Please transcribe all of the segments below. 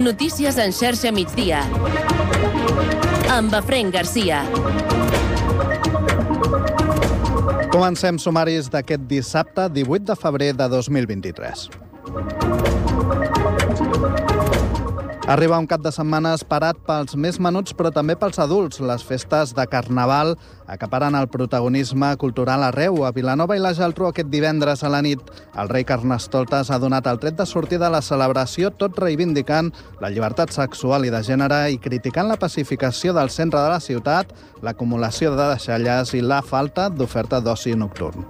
Notícies en xarxa migdia. Amb Efraín Garcia. Comencem sumaris d'aquest dissabte, 18 de febrer de 2023. Arriba un cap de setmana esperat pels més menuts, però també pels adults. Les festes de Carnaval acaparen el protagonisme cultural arreu. A Vilanova i la Geltrú aquest divendres a la nit, el rei Carnestoltes ha donat el tret de sortir de la celebració, tot reivindicant la llibertat sexual i de gènere i criticant la pacificació del centre de la ciutat, l'acumulació de deixalles i la falta d'oferta d'oci nocturn.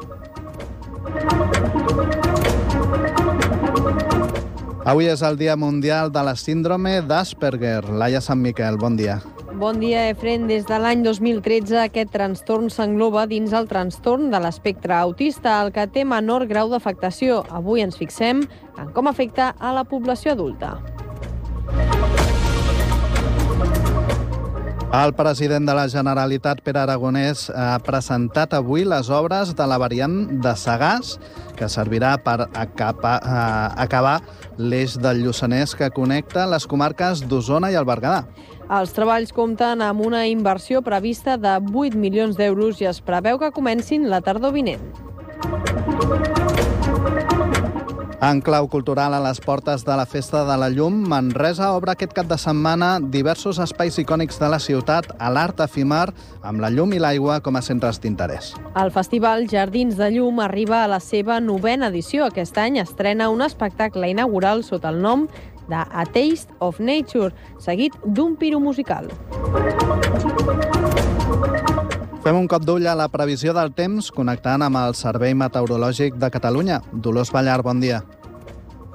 Avui és el Dia Mundial de la Síndrome d'Asperger. Laia Sant Miquel, bon dia. Bon dia, Efraín. Des de l'any 2013 aquest trastorn s'engloba dins el trastorn de l'espectre autista, el que té menor grau d'afectació. Avui ens fixem en com afecta a la població adulta. El president de la Generalitat, Pere Aragonès, ha presentat avui les obres de la variant de Sagàs, que servirà per acabar l'eix del Lluçanès que connecta les comarques d'Osona i el Berguedà. Els treballs compten amb una inversió prevista de 8 milions d'euros i es preveu que comencin la tardor vinent. En clau cultural, a les portes de la Festa de la Llum, Manresa obre aquest cap de setmana diversos espais icònics de la ciutat a l'art efímer, amb la llum i l'aigua com a centres d'interès. El festival Jardins de Llum arriba a la seva 9a edició. Aquest any estrena un espectacle inaugural sota el nom de A Taste of Nature, seguit d'un piro musical. Fem un cop d'ull a la previsió del temps connectant amb el Servei Meteorològic de Catalunya. Dolors Ballar, bon dia.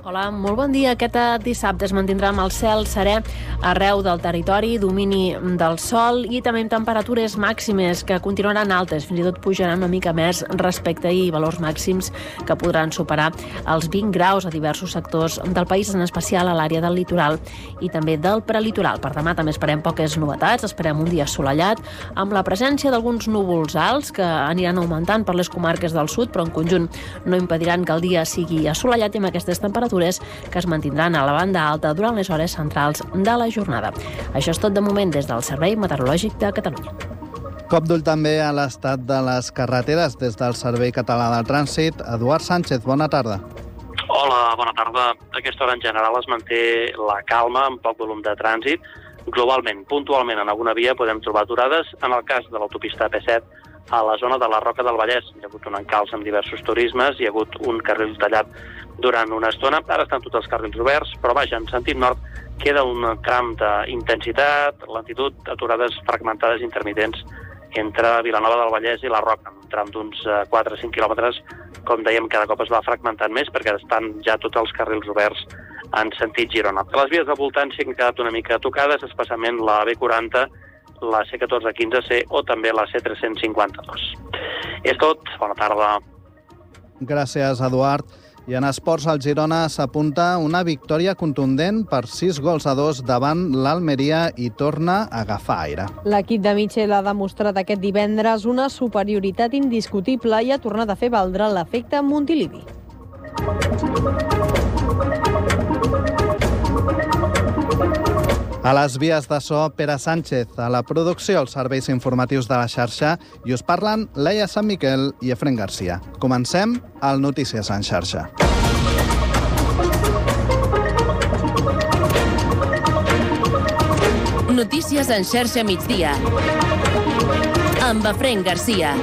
Hola, molt bon dia. Aquest dissabte es mantindrà amb el cel serè arreu del territori, domini del sol i també amb temperatures màximes que continuaran altes, fins i tot pujaran una mica més respecte a ahir, valors màxims que podran superar els 20 graus a diversos sectors del país, en especial a l'àrea del litoral i també del prelitoral. Per demà també esperem poques novetats, esperem un dia assolellat, amb la presència d'alguns núvols alts que aniran augmentant per les comarques del sud, però en conjunt no impediran que el dia sigui assolellat i amb aquestes temperatures que es mantindran a la banda alta durant les hores centrals de la jornada. Això és tot de moment des del Servei Meteorològic de Catalunya. Cop d'ull també a l'estat de les carreteres des del Servei Català de Trànsit. Eduard Sánchez, bona tarda. Hola, bona tarda. A aquesta hora en general es manté la calma amb poc volum de trànsit. Globalment, puntualment en alguna via podem trobar aturades. En el cas de l'autopista AP7, a la zona de la Roca del Vallès hi ha hagut un encalç amb diversos turismes, hi ha hagut un carril tallat durant una estona, ara estan tots els carrils oberts, però vaja, en sentit nord queda un tram d'intensitat, lentitud, aturades fragmentades intermitents entre Vilanova del Vallès i la Roca, un tram d'uns 4 o 5 quilòmetres, com dèiem, cada cop es va fragmentant més perquè estan ja tots els carrils oberts en sentit Girona. Les vies de voltant sí que han quedat una mica tocades, especialment la B40, la C1415C o també la C352. És tot, bona tarda. Gràcies, Eduard. I en esports, el Girona s'apunta una victòria contundent per 6-2 davant l'Almeria i torna a agafar aire. L'equip de Michel ha demostrat aquest divendres una superioritat indiscutible i ha tornat a fer valdre l'efecte Montilivi. A les vies de so, Pere Sánchez. A la producció, els serveis informatius de la xarxa, i us parlen Laia Sant Miquel i Efraín Garcia. Comencem al Notícies en xarxa. Notícies en xarxa migdia. Amb Efraín Garcia.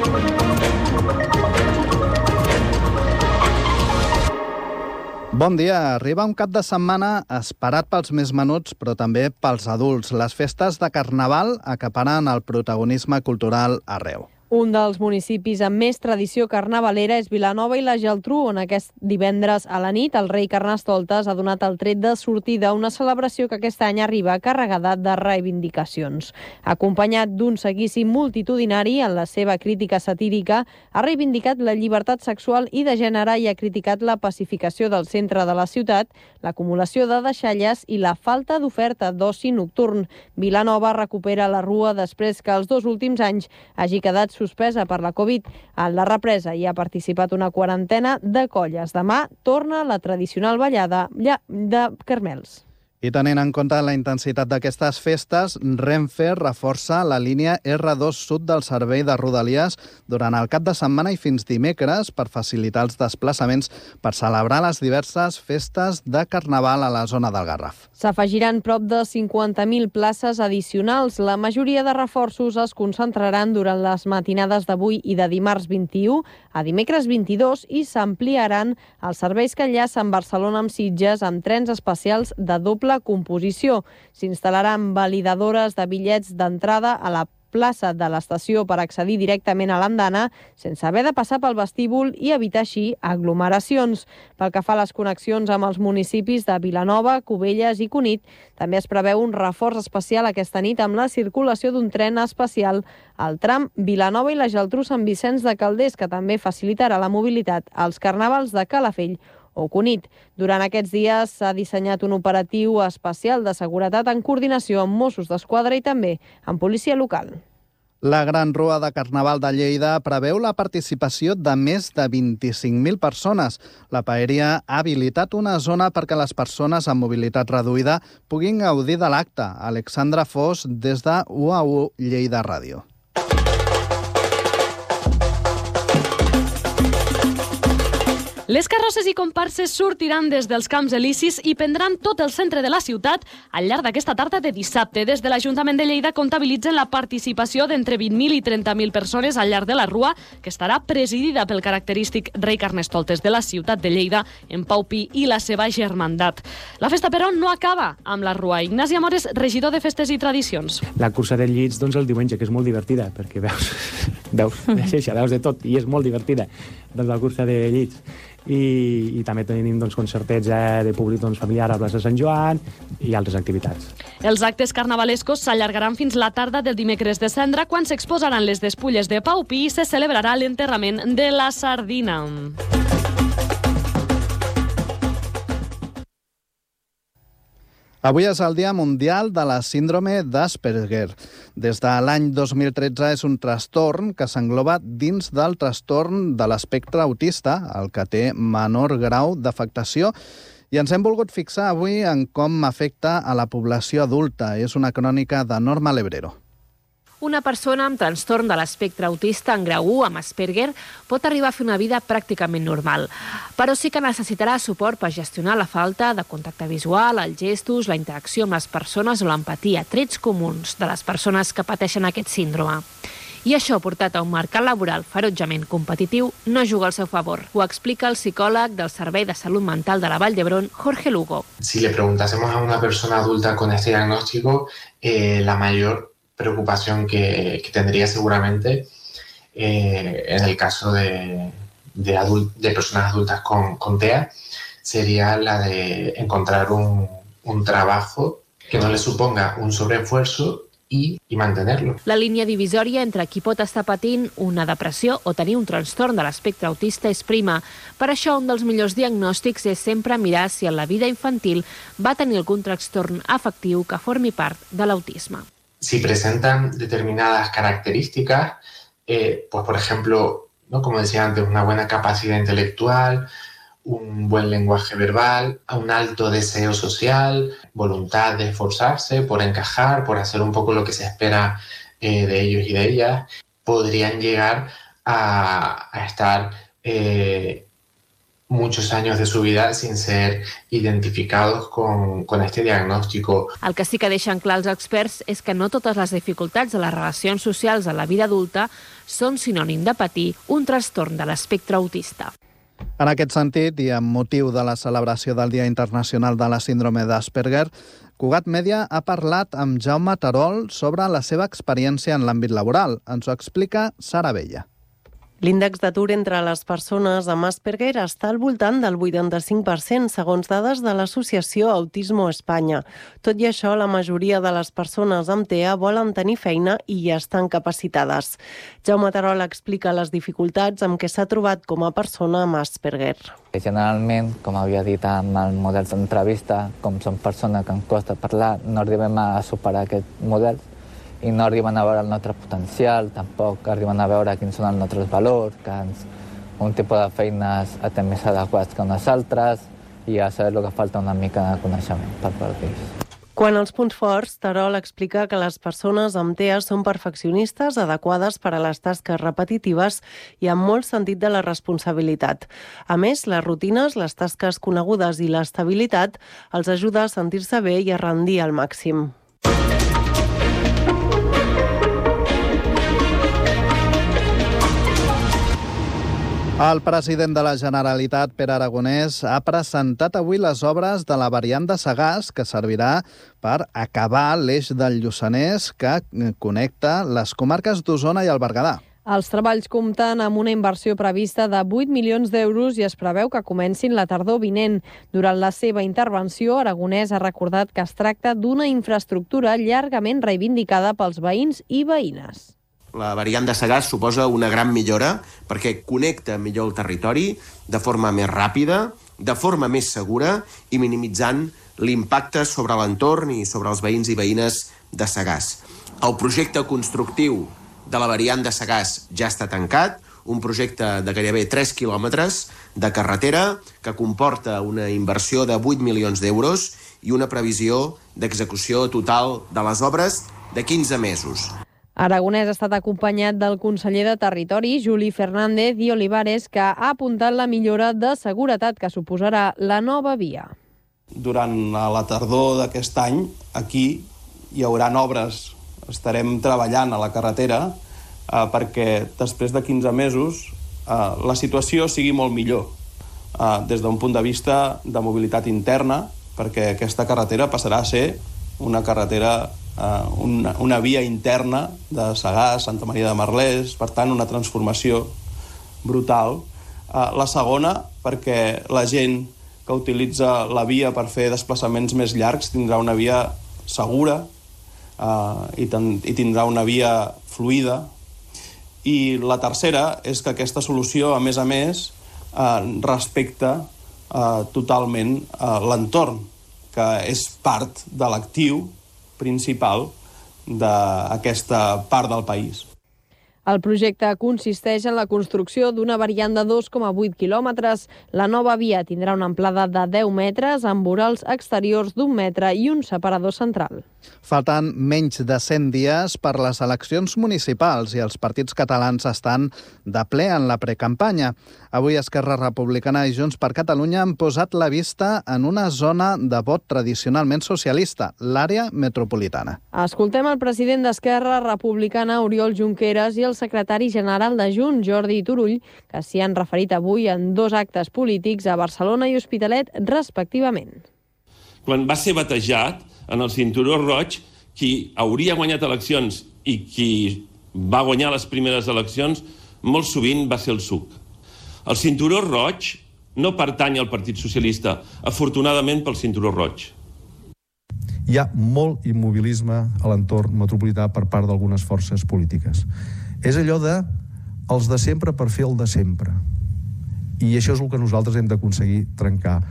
Bon dia. Arriba un cap de setmana esperat pels més menuts, però també pels adults. Les festes de Carnaval acaparen el protagonisme cultural arreu. Un dels municipis amb més tradició carnavalera és Vilanova i la Geltrú, on aquest divendres a la nit el rei Carnestoltes ha donat el tret de sortida a una celebració que aquest any arriba carregada de reivindicacions. Acompanyat d'un seguici multitudinari, en la seva crítica satírica ha reivindicat la llibertat sexual i de gènere i ha criticat la pacificació del centre de la ciutat, l'acumulació de deixalles i la falta d'oferta d'oci nocturn. Vilanova recupera la rua després que els 2 últims anys hagi quedat suspesa per la Covid. En la represa hi ha participat una quarantena de colles. Demà torna la tradicional ballada de Carmels. I tenint en compte la intensitat d'aquestes festes, Renfe reforça la línia R2 Sud del servei de Rodalies durant el cap de setmana i fins dimecres per facilitar els desplaçaments per celebrar les diverses festes de Carnaval a la zona del Garraf. S'afegiran prop de 50.000 places addicionals. La majoria de reforços es concentraran durant les matinades d'avui i de dimarts 21 a dimecres 22 i s'ampliaran els serveis que enllacen Barcelona amb Sitges amb trens especials de doble composició. S'instal·laran validadores de bitllets d'entrada a la plaça de l'estació per accedir directament a l'andana sense haver de passar pel vestíbul i evitar així aglomeracions. Pel que fa a les connexions amb els municipis de Vilanova, Cubelles i Cunit, també es preveu un reforç especial aquesta nit amb la circulació d'un tren especial al tram Vilanova i la Geltrú-Sant Vicenç de Calders, que també facilitarà la mobilitat als carnavals de Calafell o Cunit. Durant aquests dies s'ha dissenyat un operatiu especial de seguretat en coordinació amb Mossos d'Esquadra i també amb policia local. La Gran Rua de Carnaval de Lleida preveu la participació de més de 25.000 persones. La paeria ha habilitat una zona perquè les persones amb mobilitat reduïda puguin gaudir de l'acte. Alexandra Fos, des de UAU Lleida Ràdio. Les carrosses i comparses sortiran des dels Camps Elisis i prendran tot el centre de la ciutat al llarg d'aquesta tarda de dissabte. Des de l'Ajuntament de Lleida comptabilitzen la participació d'entre 20.000 i 30.000 persones al llarg de la rua, que estarà presidida pel característic rei Carnestoltes de la ciutat de Lleida, en Pau Pi i la seva germandat. La festa, però, no acaba amb la rua. Ignasi Amores, regidor de Festes i Tradicions. La cursa del Llits, doncs, el diumenge, que és molt divertida, perquè veus de tot, i és molt divertida, doncs, la cursa de Llits. I també tenim concertets de públic familiar a la plaça Sant Joan i altres activitats. Els actes carnavalescos s'allargaran fins la tarda del dimecres de Cendra, quan s'exposaran les despulles de Pau Pi i se celebrarà l'enterrament de la sardina. Avui és el Dia Mundial de la Síndrome d'Asperger. Des de l'any 2013 és un trastorn que s'engloba dins del trastorn de l'espectre autista, el que té menor grau d'afectació. I ens hem volgut fixar avui en com afecta a la població adulta. És una crònica de Norma Lebrero. Una persona amb trastorn de l'espectre autista en grau 1 amb Asperger pot arribar a fer una vida pràcticament normal, però sí que necessitarà suport per gestionar la falta de contacte visual, els gestos, la interacció amb les persones o l'empatia, trets comuns de les persones que pateixen aquest síndrome. I això, portat a un mercat laboral ferotgement competitiu, no juga al seu favor. Ho explica el psicòleg del Servei de Salut Mental de la Vall d'Hebron, Jorge Lugo. Si le preguntásemos a una persona adulta con este diagnóstico, la mayor preocupación que tendría seguramente en el caso de personas adultas con TEA sería la de encontrar un trabajo que no le suponga un sobreesfuerzo i mantenerlo. La línia divisòria entre qui pot estar patint una depressió o tenir un trastorn de l'espectre autista és prima. Per això, un dels millors diagnòstics és sempre mirar si en la vida infantil va tenir algun trastorn afectiu que formi part de l'autisme. Si presentan determinadas características, pues por ejemplo, ¿no? Como decía antes, una buena capacidad intelectual, un buen lenguaje verbal, un alto deseo social, voluntad de esforzarse por encajar, por hacer un poco lo que se espera de ellos y de ellas, podrían llegar a estar muchos años de su vida sin ser identificados con este diagnóstico. El que sí que deixen clar els experts és que no totes les dificultats de les relacions socials a la vida adulta són sinònim de patir un trastorn de l'espectre autista. En aquest sentit, i amb motiu de la celebració del Dia Internacional de la Síndrome d'Asperger, Cugat Mèdia ha parlat amb Jaume Terol sobre la seva experiència en l'àmbit laboral. Ens ho explica Sara Bella. L'índex d'atur entre les persones amb Asperger està al voltant del 85%, segons dades de l'Associació Autismo Espanya. Tot i això, la majoria de les persones amb TEA volen tenir feina i ja estan capacitades. Jaume Terol explica les dificultats amb què s'ha trobat com a persona amb Asperger. Generalment, com havia dit amb el model d'entrevista, com som persones que ens costa parlar, no arribem a superar aquest model i no arriben a veure el nostre potencial, tampoc arriben a veure quins són els nostres valors, que un tipus de feines estem més adequats que unes altres, i a saber que falta una mica de coneixement per part d'ells. Quan als punts forts, Terol explica que les persones amb TEA són perfeccionistes, adequades per a les tasques repetitives i amb molt sentit de la responsabilitat. A més, les rutines, les tasques conegudes i l'estabilitat els ajuda a sentir-se bé i a rendir al màxim. El president de la Generalitat, Pere Aragonès, ha presentat avui les obres de la variant de Sagàs, que servirà per acabar l'eix del Lluçanès que connecta les comarques d'Osona i el Berguedà. Els treballs compten amb una inversió prevista de 8 milions d'euros i es preveu que comencin la tardor vinent. Durant la seva intervenció, Aragonès ha recordat que es tracta d'una infraestructura llargament reivindicada pels veïns i veïnes. La variant de Sagàs suposa una gran millora perquè connecta millor el territori de forma més ràpida, de forma més segura i minimitzant l'impacte sobre l'entorn i sobre els veïns i veïnes de Sagàs. El projecte constructiu de la variant de Sagàs ja està tancat, un projecte de gairebé 3 quilòmetres de carretera que comporta una inversió de 8 milions d'euros i una previsió d'execució total de les obres de 15 mesos. Aragonès ha estat acompanyat del conseller de Territori, Juli Fernández i Olivares, que ha apuntat la millora de seguretat que suposarà la nova via. Durant la tardor d'aquest any, aquí hi haurà obres. Estarem treballant a la carretera perquè després de 15 mesos la situació sigui molt millor des d'un punt de vista de mobilitat interna, perquè aquesta carretera passarà a ser una carretera, una via interna de Sagàs, Santa Maria de Merlès, per tant, una transformació brutal. La segona, perquè la gent que utilitza la via per fer desplaçaments més llargs tindrà una via segura i tindrà una via fluida. I la tercera és que aquesta solució, a més, respecta totalment l'entorn, que és part de l'actiu principal d'aquesta part del país. El projecte consisteix en la construcció d'una variant de 2,8 quilòmetres. La nova via tindrà una amplada de 10 metres, amb vorals exteriors d'1 metre i un separador central. Falten menys de 100 dies per les eleccions municipals i els partits catalans estan de ple en la precampanya. Avui Esquerra Republicana i Junts per Catalunya han posat la vista en una zona de vot tradicionalment socialista, l'àrea metropolitana. Escoltem el president d'Esquerra Republicana, Oriol Junqueras, i el secretari general de Junts, Jordi Turull, que s'hi han referit avui en 2 actes polítics a Barcelona i Hospitalet, respectivament. Quan va ser batejat en el cinturó roig, qui hauria guanyat eleccions i qui va guanyar les primeres eleccions, molt sovint va ser el PSUC. El cinturó roig no pertany al Partit Socialista, afortunadament pel cinturó roig. Hi ha molt immobilisme a l'entorn metropolità per part d'algunes forces polítiques. És allò de els de sempre per fer el de sempre. I això és el que nosaltres hem d'aconseguir trencar,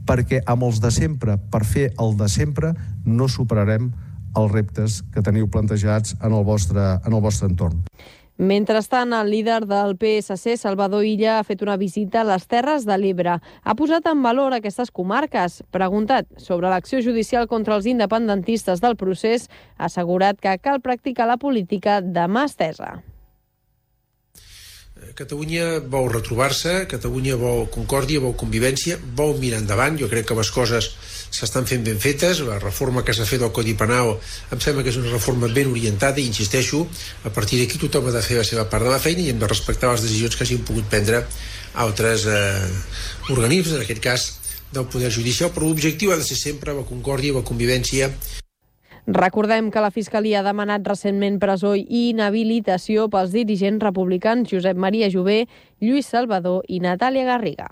perquè amb els de sempre per fer el de sempre no superarem els reptes que teniu plantejats en el vostre entorn. Mentrestant, el líder del PSC, Salvador Illa, ha fet una visita a les Terres de l'Ebre. Ha posat en valor aquestes comarques. Preguntat sobre l'acció judicial contra els independentistes del procés, ha assegurat que cal practicar la política de mà estesa. Catalunya vol retrobar-se, Catalunya vol concòrdia, vol convivència, vol mirar endavant. Jo crec que les coses s'estan fent ben fetes. La reforma que s'ha fet del Codi Penal em sembla que és una reforma ben orientada i, insisteixo, a partir d'aquí tothom ha de fer la seva part de la feina i hem de respectar les decisions que hagin pogut prendre altres organismes, en aquest cas del Poder Judicial, però l'objectiu ha de ser sempre la concòrdia i la convivència. Recordem que la Fiscalia ha demanat recentment presó i inhabilitació pels dirigents republicans Josep Maria Jové, Lluís Salvador i Natàlia Garriga.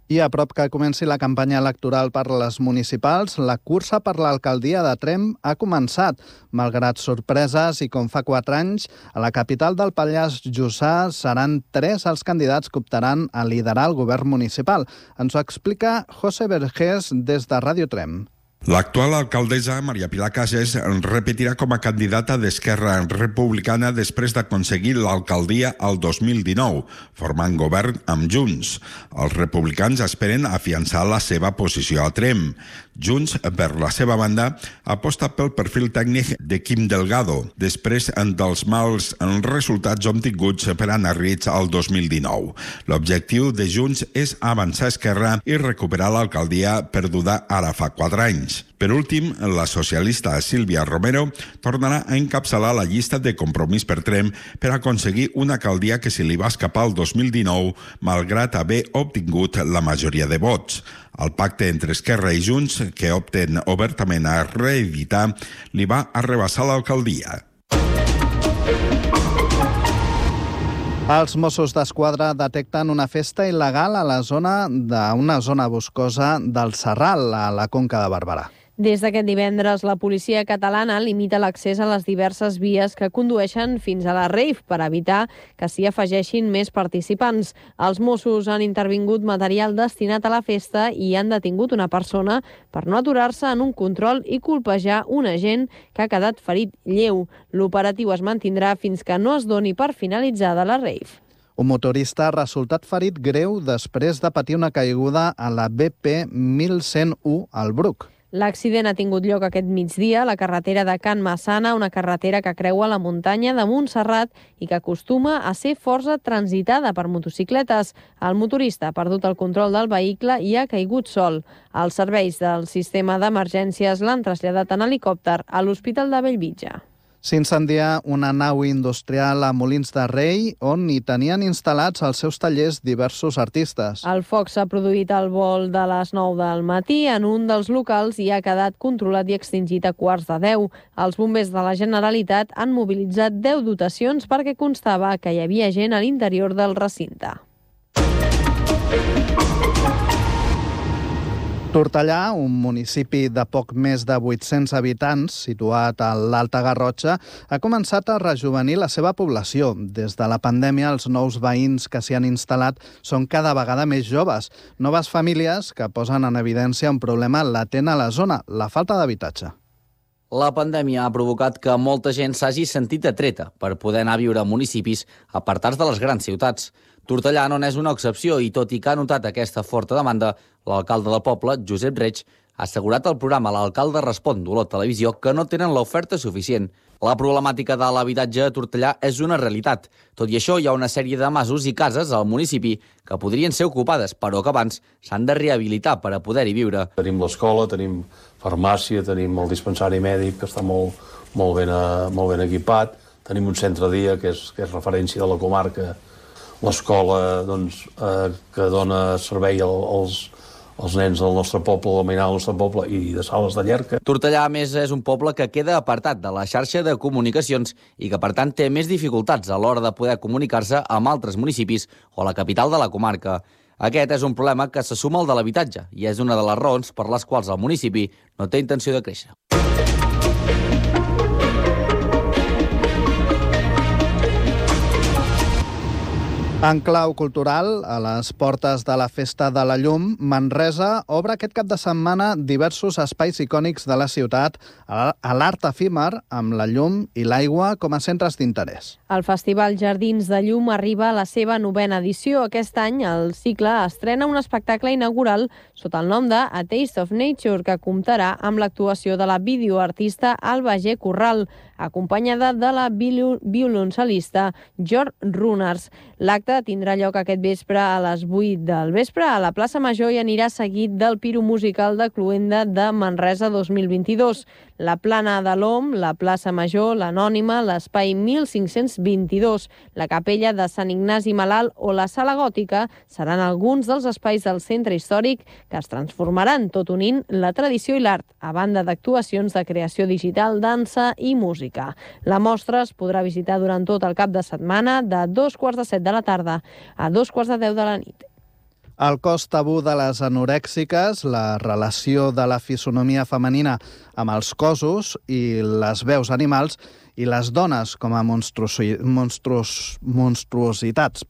I a prop que comenci la campanya electoral per les municipals, la cursa per l'alcaldia de Tremp ha començat. Malgrat sorpreses i com fa 4 anys, a la capital del Pallars Jussà seran 3 els candidats que optaran a liderar el govern municipal. Ens ho explica José Vergés des de Ràdio Tremp. L'actual alcaldessa, Maria Pilar Casas, repetirà com a candidata d'Esquerra Republicana després d'aconseguir l'alcaldia al 2019, formant govern amb Junts. Els republicans esperen afiançar la seva posició a Tremp. Junts, per la seva banda, aposta pel perfil tècnic de Quim Delgado, després dels mals resultats obtinguts per Anna Rich al 2019. L'objectiu de Junts és avançar a Esquerra i recuperar l'alcaldia perduda ara fa 4 anys. Per últim, la socialista Sílvia Romero tornarà a encapçalar la llista de Compromís per Tremp per aconseguir una alcaldia que se li va escapar el 2019, malgrat haver obtingut la majoria de vots. El pacte entre Esquerra i Junts, que opten obertament a reeditar, li va arrabassar l'alcaldia. Els Mossos d'Esquadra detecten una festa il·legal a una zona boscosa del Serral, a la Conca de Barberà. Des d'aquest divendres, la policia catalana limita l'accés a les diverses vies que condueixen fins a la rave per evitar que s'hi afegeixin més participants. Els Mossos han intervingut material destinat a la festa i han detingut una persona per no aturar-se en un control i colpejar un agent que ha quedat ferit lleu. L'operatiu es mantindrà fins que no es doni per finalitzada la rave. Un motorista ha resultat ferit greu després de patir una caiguda a la BP 1101 al Bruc. L'accident ha tingut lloc aquest migdia a la carretera de Can Massana, una carretera que creua la muntanya de Montserrat i que acostuma a ser força transitada per motocicletes. El motorista ha perdut el control del vehicle i ha caigut sol. Els serveis del sistema d'emergències l'han traslladat en helicòpter a l'Hospital de Bellvitge. S'incendia una nau industrial a Molins de Rei, on hi tenien instal·lats als seus tallers diversos artistes. El foc s'ha produït al vol de les 9 del matí en un dels locals i ha quedat controlat i extingit a 9:15. Els bombers de la Generalitat han mobilitzat 10 dotacions perquè constava que hi havia gent a l'interior del recinte. Tortellà, un municipi de poc més de 800 habitants, situat a l'Alta Garrotxa, ha començat a rejovenir la seva població. Des de la pandèmia, els nous veïns que s'hi han instal·lat són cada vegada més joves. Noves famílies que posen en evidència un problema latent a la zona, la falta d'habitatge. La pandèmia ha provocat que molta gent s'hagi sentit atreta per poder anar a viure a municipis apartats de les grans ciutats. Tortellà no n'és una excepció i, tot i que ha notat aquesta forta demanda, l'alcalde del poble, Josep Reig, ha assegurat al programa L'Alcalde Respon d'Olot Televisió que no tenen l'oferta suficient. La problemàtica de l'habitatge a Tortellà és una realitat. Tot i això, hi ha una sèrie de masos i cases al municipi que podrien ser ocupades, però que abans s'han de rehabilitar per a poder-hi viure. Tenim l'escola, tenim farmàcia, tenim el dispensari mèdic, que està molt ben equipat, tenim un centre dia que és referència de la comarca, l'escola que dona servei als nens del nostre poble, la mainada del nostre poble i de sales de Llerca. Tortellà, a més, és un poble que queda apartat de la xarxa de comunicacions i que, per tant, té més dificultats a l'hora de poder comunicar-se amb altres municipis o la capital de la comarca. Aquest és un problema que se suma al de l'habitatge i és una de les raons per les quals el municipi no té intenció de créixer. En clau cultural, a les portes de la Festa de la Llum, Manresa obre aquest cap de setmana diversos espais icònics de la ciutat a l'art efímer, amb la llum i l'aigua com a centres d'interès. El Festival Jardins de Llum arriba a la seva 9a edició. Aquest any el cicle estrena un espectacle inaugural sota el nom de A Taste of Nature, que comptarà amb l'actuació de la videoartista Alba G. Corral, acompanyada de la violoncel·lista Jord Runers. L'acte tindrà lloc aquest vespre a les 8 del vespre a la plaça Major i anirà seguit del Piro Musical de Cluenda de Manresa 2022. La Plana de l'Om, la plaça Major, l'Anònima, l'Espai 1522, la Capella de Sant Ignasi Malalt o la Sala Gòtica seran alguns dels espais del centre històric que es transformaran, tot unint la tradició i l'art, a banda d'actuacions de creació digital, dansa i música. La mostra es podrà visitar durant tot el cap de setmana de 2:15 de la tarda a 2:10 de la nit. El cos tabú de les anorèxiques, la relació de la fisonomia femenina amb els cossos i les veus animals i les dones com a monstruositats.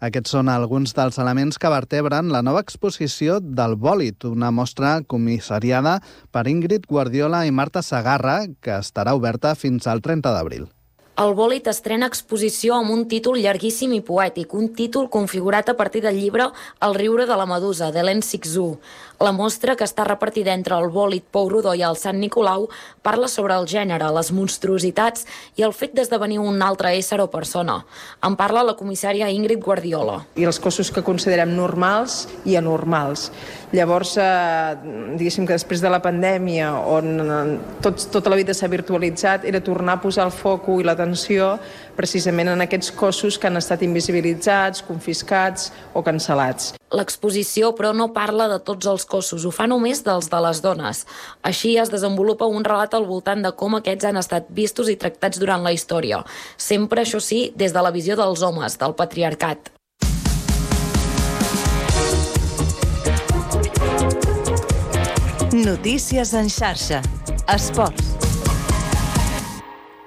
Aquests són alguns dels elements que vertebren la nova exposició del Bòlit, una mostra comissariada per Ingrid Guardiola i Marta Sagarra, que estarà oberta fins al 30 d'abril. El Bòlit estrena exposició amb un títol llarguíssim i poètic, un títol configurat a partir del llibre El riure de la medusa, d'Hélène Cixous. La mostra, que està repartida entre el Bòlit, Pou Rodó i el Sant Nicolau, parla sobre el gènere, les monstruositats i el fet d'esdevenir un altre ésser o persona. En parla la comissària Ingrid Guardiola. I els cossos que considerem normals i anormals. Llavors, diguéssim que després de la pandèmia, on tota la vida s'ha virtualitzat, era tornar a posar el foco i l'atenció precisament en aquests cossos que han estat invisibilitzats, confiscats o cancel·lats. L'exposició, però, no parla de tots els cossos, ho fa només dels de les dones. Així es desenvolupa un relat al voltant de com aquests han estat vistos i tractats durant la història. Sempre, això sí, des de la visió dels homes, del patriarcat. Notícies en xarxa. Esports.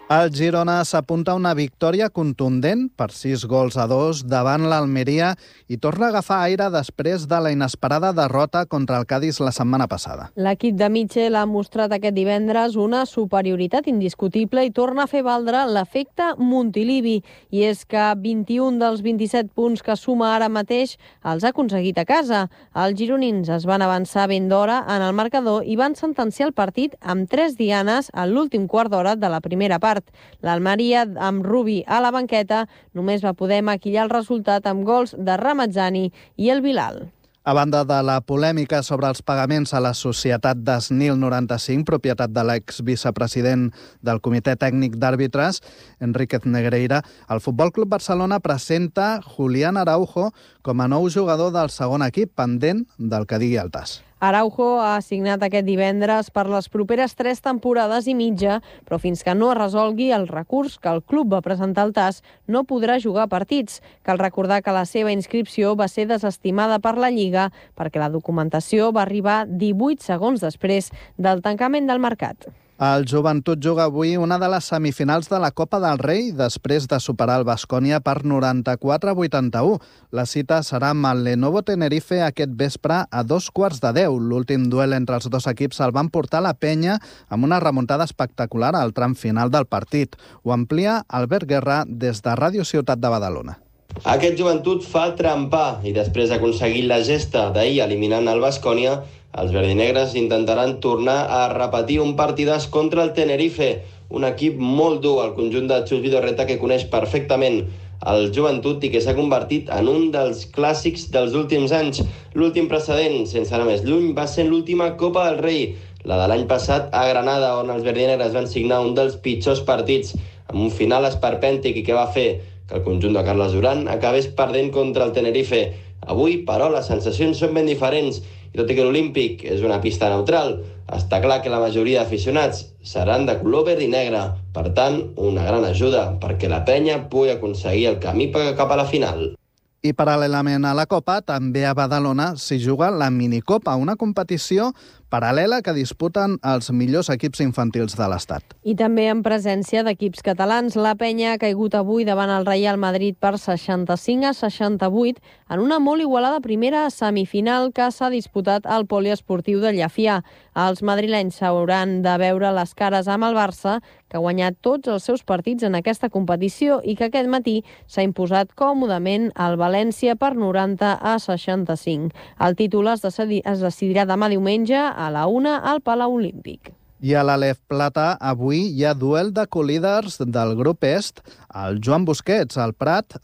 El Girona s'apunta a una victòria contundent per 6-2 davant l'Almeria i torna a agafar aire després de la inesperada derrota contra el Cádiz la setmana passada. L'equip de Michel ha mostrat aquest divendres una superioritat indiscutible i torna a fer valdre l'efecte Montilivi. I és que 21 dels 27 punts que suma ara mateix els ha aconseguit a casa. Els gironins es van avançar ben d'hora en el marcador i van sentenciar el partit amb 3 dianes en l'últim quart d'hora de la primera part. L'Almeria, amb Rubi a la banqueta, només va poder maquillar el resultat amb gols de Ramazzani i el Bilal. A banda de la polèmica sobre els pagaments a la societat d'Esnil 95, propietat de l'exvicepresident del Comitè Tècnic d'Àrbitres, Enríquez Negreira, el Futbol Club Barcelona presenta Julián Araujo com a nou jugador del segon equip, pendent del que digui el TAS. Araujo ha signat aquest divendres per les properes 3 temporades i mitja, però fins que no es resolgui el recurs que el club va presentar al TAS, no podrà jugar partits. Cal recordar que la seva inscripció va ser desestimada per la Lliga perquè la documentació va arribar 18 segons després del tancament del mercat. El Joventut juga avui una de les semifinals de la Copa del Rei després de superar el Baskonia per 94-81. La cita serà amb el Lenovo Tenerife aquest vespre a 9:15. L'últim duel entre els dos equips el van portar la penya amb una remuntada espectacular al tram final del partit. Ho amplia Albert Guerra des de Ràdio Ciutat de Badalona. Aquest Joventut fa trempar i després d'aconseguir la gesta d'ahir eliminant el Baskonia, els verdinegres intentaran tornar a repetir un partidàs contra el Tenerife, un equip molt dur al conjunt de Chus Vidorreta que coneix perfectament el Joventut i que s'ha convertit en un dels clàssics dels últims anys. L'últim precedent, sense anar més lluny, va ser l'última Copa del Rei, la de l'any passat a Granada, on els verdinegres van signar un dels pitjors partits, amb un final esperpèntic i que va fer que el conjunt de Carles Duran acabés perdent contra el Tenerife. Avui, però, les sensacions són ben diferents i tot i que l'Olímpic és una pista neutral, està clar que la majoria d'aficionats seran de color verd i negre. Per tant, una gran ajuda perquè la penya pugui aconseguir el camí cap a la final. I paral·lelament a la Copa, també a Badalona s'hi juga la Minicopa, una competició paral·lela que disputen els millors equips infantils de l'Estat. I també en presència d'equips catalans. La penya ha caigut avui davant el Real Madrid per 65-68 en una molt igualada primera semifinal que s'ha disputat al poliesportiu de Llafià. Els madrilenys s'hauran de veure les cares amb el Barça, que ha guanyat tots els seus partits en aquesta competició i que aquest matí s'ha imposat còmodament al València per 90-65. El títol es decidirà demà diumenge a la 1 al Palau Olímpic. I a l'Alef Plata, avui hi ha duel de co-líders del grup Est. El Joan Busquets, al Prat,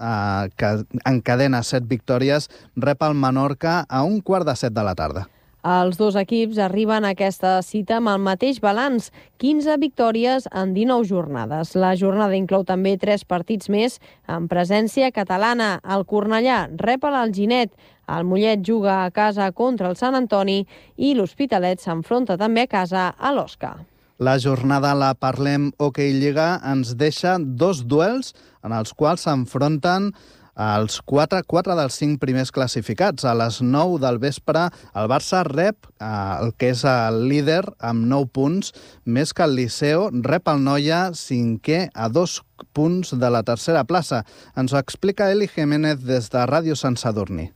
que encadena 7 victòries, rep el Menorca a 7:15 de la tarda. Els dos equips arriben a aquesta cita amb el mateix balanç, 15 victòries en 19 jornades. La jornada inclou també 3 partits més amb presència catalana. El Cornellà rep l'Alginet, el Mollet juga a casa contra el Sant Antoni i l'Hospitalet s'enfronta també a casa a l'Osca. La jornada a la Parlem Hockey Lliga ens deixa 2 duels en els quals s'enfronten els 4 dels 5 primers classificats. A les 9 del vespre, el Barça rep el que és el líder amb 9 punts, més que el Liceo, rep el Noia 5è a 2 punts de la tercera plaça. Ens ho explica Eli Jiménez des de Ràdio Sant Sadurní.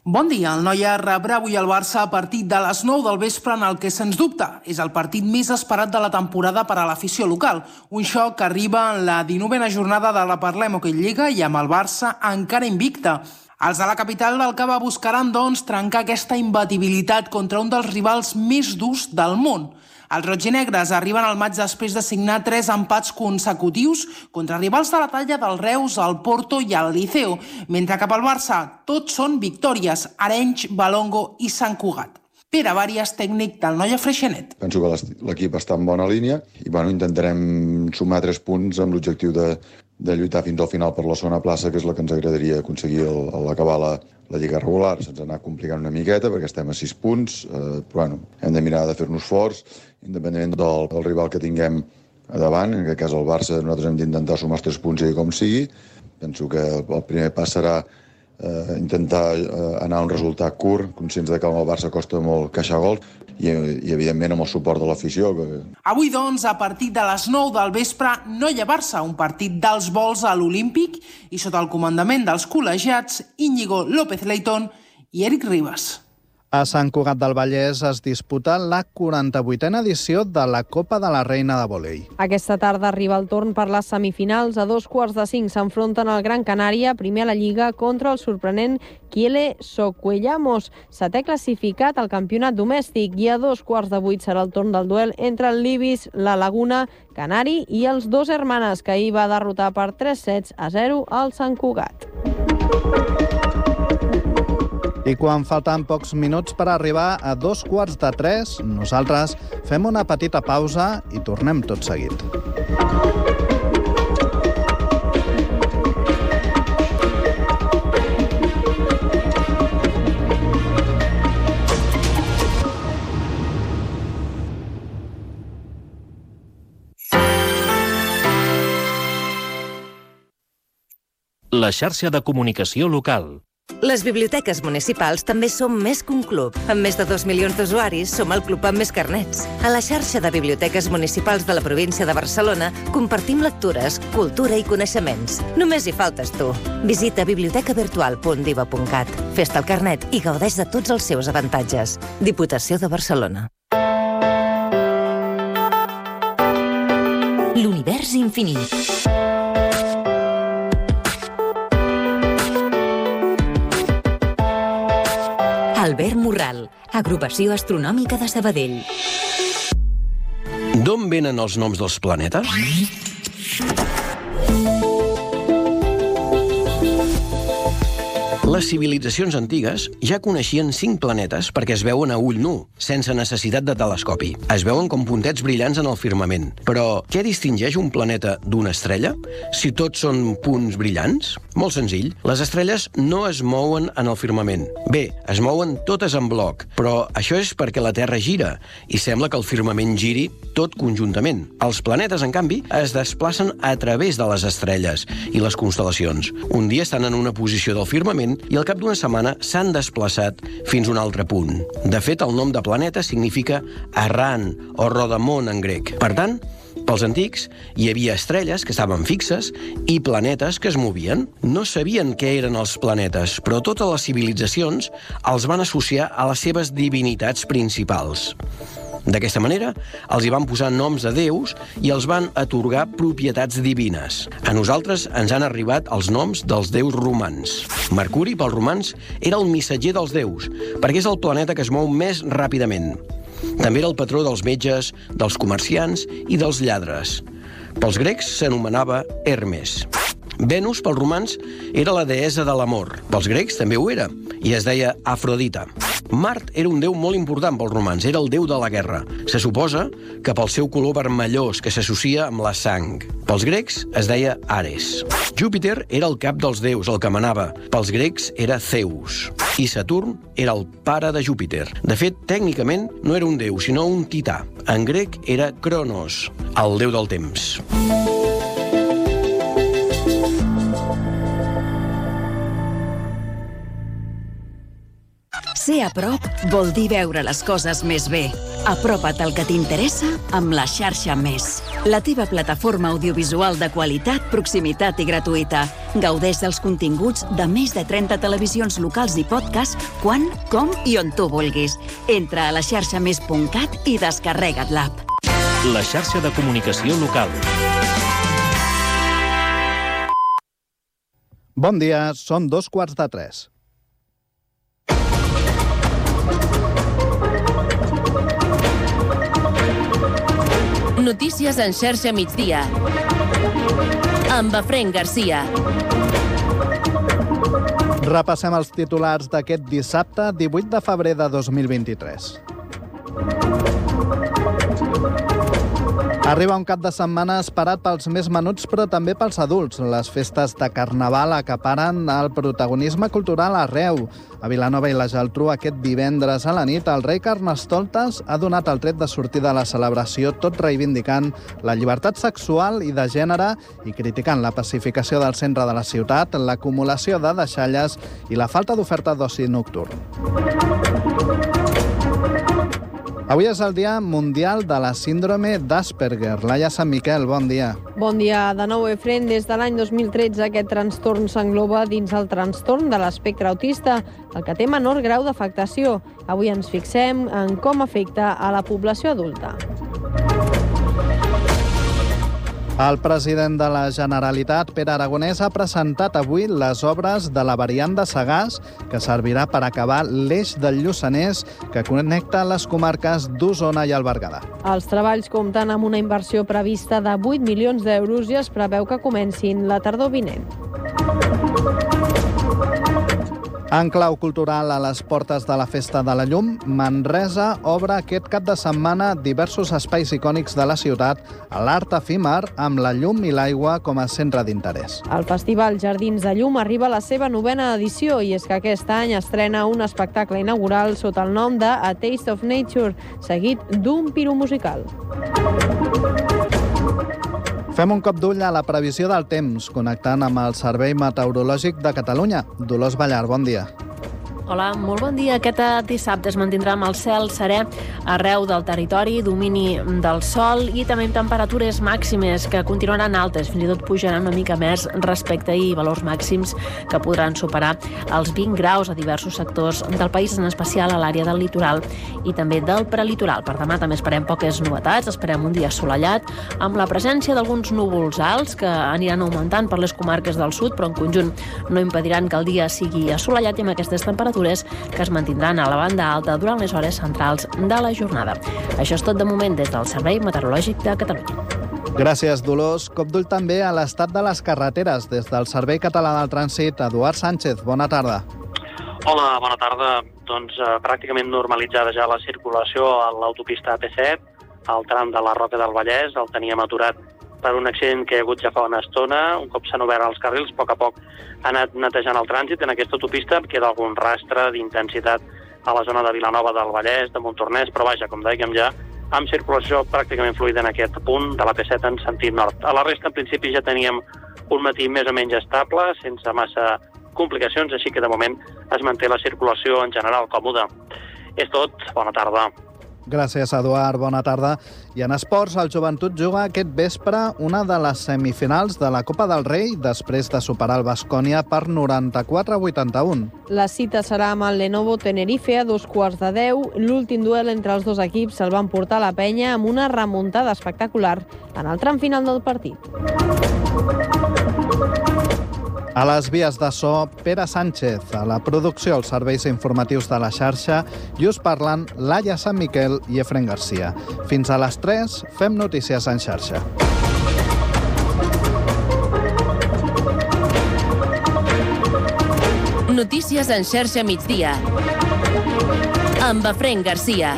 Bon dia. El Noia rebrà avui el Barça a partir de les 9 del vespre en el que, sens dubte, és el partit més esperat de la temporada per a l'afició local. Un xoc que arriba en la 19a jornada de la Parlem Hockey Lliga i amb el Barça encara invicte. Els de la capital del Cava buscaran, doncs, trencar aquesta imbatibilitat contra un dels rivals més durs del món. Els roig-i-negres arriben al maig després de signar 3 empats consecutius contra rivals de la talla del Reus, el Porto i el Liceo, mentre que pel Barça tots són victòries, Arenys, Valongo i Sant Cugat. Pere Vàries, tècnic del Noia Freixenet. Penso que l'equip està en bona línia i intentarem sumar 3 punts amb l'objectiu de lluitar fins al final per la segona plaça, que és la que ens agradaria aconseguir l'acabar la Lliga regular. Se'ns ha anat complicant una miqueta perquè estem a 6 punts, però hem de mirar de fer-nos forts, independentment del rival que tinguem a davant. En aquest cas el Barça, nosaltres hem d'intentar sumar els 3 punts i com sigui. Penso que el primer pas serà intentar anar a un resultat curt, conscients de que al Barça costa molt caixar gols i evidentment amb el suport de l'afició. Avui, doncs, a partir de les 9 del vespre, Noia-Barça, un partit dels vols a l'Olímpic i sota el comandament dels col·legiats Íñigo López-Leighton i Eric Ribas. A Sant Cugat del Vallès es disputa la 48a edició de la Copa de la Reina de Vòlei. Aquesta tarda arriba el torn per les semifinals. A 4:45 s'enfronten el Gran Canària, primer a la Lliga, contra el sorprenent Kiele Socuellamos, 7è classificat al campionat domèstic, i a 7:15 serà el torn del duel entre el Libis, la Laguna, Canari i els Dos Hermanes, que ahir va derrotar per 3-0 al Sant Cugat. I quan falten pocs minuts per arribar a 2:15, nosaltres fem una petita pausa i tornem tot seguit. La xarxa de comunicació local. Les biblioteques municipals també som més que un club. Amb més de 2 milions d'usuaris, som el club amb més carnets. A la xarxa de biblioteques municipals de la província de Barcelona compartim lectures, cultura i coneixements. Només hi faltes tu. Visita bibliotecavirtual.diva.cat. Fes-te el carnet i gaudeix de tots els seus avantatges. Diputació de Barcelona. L'univers infinit. Albert Morral, Agrupació Astronòmica de Sabadell. D'on venen els noms dels planetes? Les civilitzacions antigues ja coneixien 5 planetes perquè es veuen a ull nu, sense necessitat de telescopi. Es veuen com puntets brillants en el firmament. Però què distingeix un planeta d'una estrella? Si tots són punts brillants? Molt senzill. Les estrelles no es mouen en el firmament. Bé, es mouen totes en bloc, però això és perquè la Terra gira i sembla que el firmament giri tot conjuntament. Els planetes, en canvi, es desplacen a través de les estrelles i les constel·lacions. Un dia estan en una posició del firmament i al cap d'una setmana s'han desplaçat fins a un altre punt. De fet, el nom de planeta significa errant o rodamón en grec. Per tant, pels antics, hi havia estrelles que estaven fixes i planetes que es movien. No sabien què eren els planetes, però totes les civilitzacions els van associar a les seves divinitats principals. D'aquesta manera, els hi van posar noms de déus i els van atorgar propietats divines. A nosaltres ens han arribat els noms dels déus romans. Mercuri, pels romans, era el missatger dels déus, perquè és el planeta que es mou més ràpidament. També era el patró dels metges, dels comerciants i dels lladres. Pels grecs s'anomenava Hermes. Venus, pels romans, era la deessa de l'amor. Pels grecs també ho era, i es deia Afrodita. Mart era un déu molt important pels romans, era el déu de la guerra. Se suposa que pel seu color vermellós, que s'associa amb la sang. Pels grecs es deia Ares. Júpiter era el cap dels déus, el que manava. Pels grecs era Zeus. I Saturn era el pare de Júpiter. De fet, tècnicament no era un déu, sinó un tità. En grec era Cronos, el déu del temps. Ser a prop vol dir veure les coses més bé. Apropa't al que t'interessa amb la xarxa Més. La teva plataforma audiovisual de qualitat, proximitat i gratuïta. Gaudeix dels continguts de més de 30 televisions locals i podcasts quan, com i on tu vulguis. Entra a laxarxamés.cat i descarrega't l'app. La xarxa de comunicació local. Bon dia, són 2:45. Notícies en xarxa migdia. Amb Efraín Garcia. Repassem els titulars d'aquest dissabte, 18 de febrer de 2023. Arriba un cap de setmana esperat pels més menuts, però també pels adults. Les festes de Carnaval acaparen el protagonisme cultural arreu. A Vilanova i la Geltrú, aquest divendres a la nit, el rei Carnestoltes ha donat el tret de sortida a la celebració, tot reivindicant la llibertat sexual i de gènere i criticant la pacificació del centre de la ciutat, l'acumulació de deixalles i la falta d'oferta d'oci nocturn. Avui és el Dia Mundial de la Síndrome d'Asperger. Laia Sant Miquel, bon dia. Bon dia de nou, Efraín. Des de l'any 2013 aquest trastorn s'engloba dins el trastorn de l'espectre autista, el que té menor grau d'afectació. Avui ens fixem en com afecta a la població adulta. El president de la Generalitat, Pere Aragonès, ha presentat avui les obres de la variant de Sagàs, que servirà per acabar l'eix del Lluçanès que connecta les comarques d'Osona i el Berguedà. Els treballs compten amb una inversió prevista de 8 milions d'euros i es preveu que comencin la tardor vinent. En clau cultural, a les portes de la Festa de la Llum, Manresa obre aquest cap de setmana diversos espais icònics de la ciutat a l'art efímer, amb la llum i l'aigua com a centre d'interès. El Festival Jardins de Llum arriba a la seva 9ª edició i és que aquest any estrena un espectacle inaugural sota el nom de A Taste of Nature, seguit d'un piromusical. Fem un cop d'ull a la previsió del temps, connectant amb el Servei Meteorològic de Catalunya. Dolors Ballar, bon dia. Hola, molt bon dia. Aquest dissabte es mantindrà amb el cel serè arreu del territori, domini del sol i també amb temperatures màximes que continuaran altes, fins i tot pujaran una mica més respecte a ahir, valors màxims que podran superar els 20 graus a diversos sectors del país, en especial a l'àrea del litoral i també del prelitoral. Per demà també esperem poques novetats, esperem un dia assolellat, amb la presència d'alguns núvols alts que aniran augmentant per les comarques del sud, però en conjunt no impediran que el dia sigui assolellat i amb aquestes temperatures que es mantindran a la banda alta durant les hores centrals de la jornada. Això és tot de moment des del Servei Meteorològic de Catalunya. Gràcies, Dolors. Cop d'ull també a l'estat de les carreteres. Des del Servei Català del Trànsit, Eduard Sánchez, bona tarda. Hola, bona tarda. Doncs pràcticament normalitzada ja la circulació a l'autopista AP7, al tram de la Roca del Vallès. El teníem aturat per un accident que hi ha hagut ja fa una estona. Un cop s'han obert els carrils, a poc ha anat netejant el trànsit. En aquesta autopista queda algun rastre d'intensitat a la zona de Vilanova del Vallès, de Montornès, però vaja, com dèiem ja, amb circulació pràcticament fluida en aquest punt de la P7 en sentit nord. A la resta, en principi, ja teníem un matí més o menys estable, sense massa complicacions, així que de moment es manté la circulació en general còmoda. És tot, bona tarda. Gràcies, Eduard. Bona tarda. I en esports, el Joventut juga aquest vespre una de les semifinals de la Copa del Rei després de superar el Baskonia per 94-81. La cita serà amb el Lenovo Tenerife a 9:15. L'últim duel entre els dos equips se'l van portar a la penya amb una remuntada espectacular en el tram final del partit. A les vies de so, Pere Sánchez. A la producció, els serveis informatius de la xarxa, i us parlen Laia Sant Miquel i Efraín Garcia. Fins a les 3, fem notícies en xarxa. Notícies en xarxa migdia. Amb Efraín Garcia.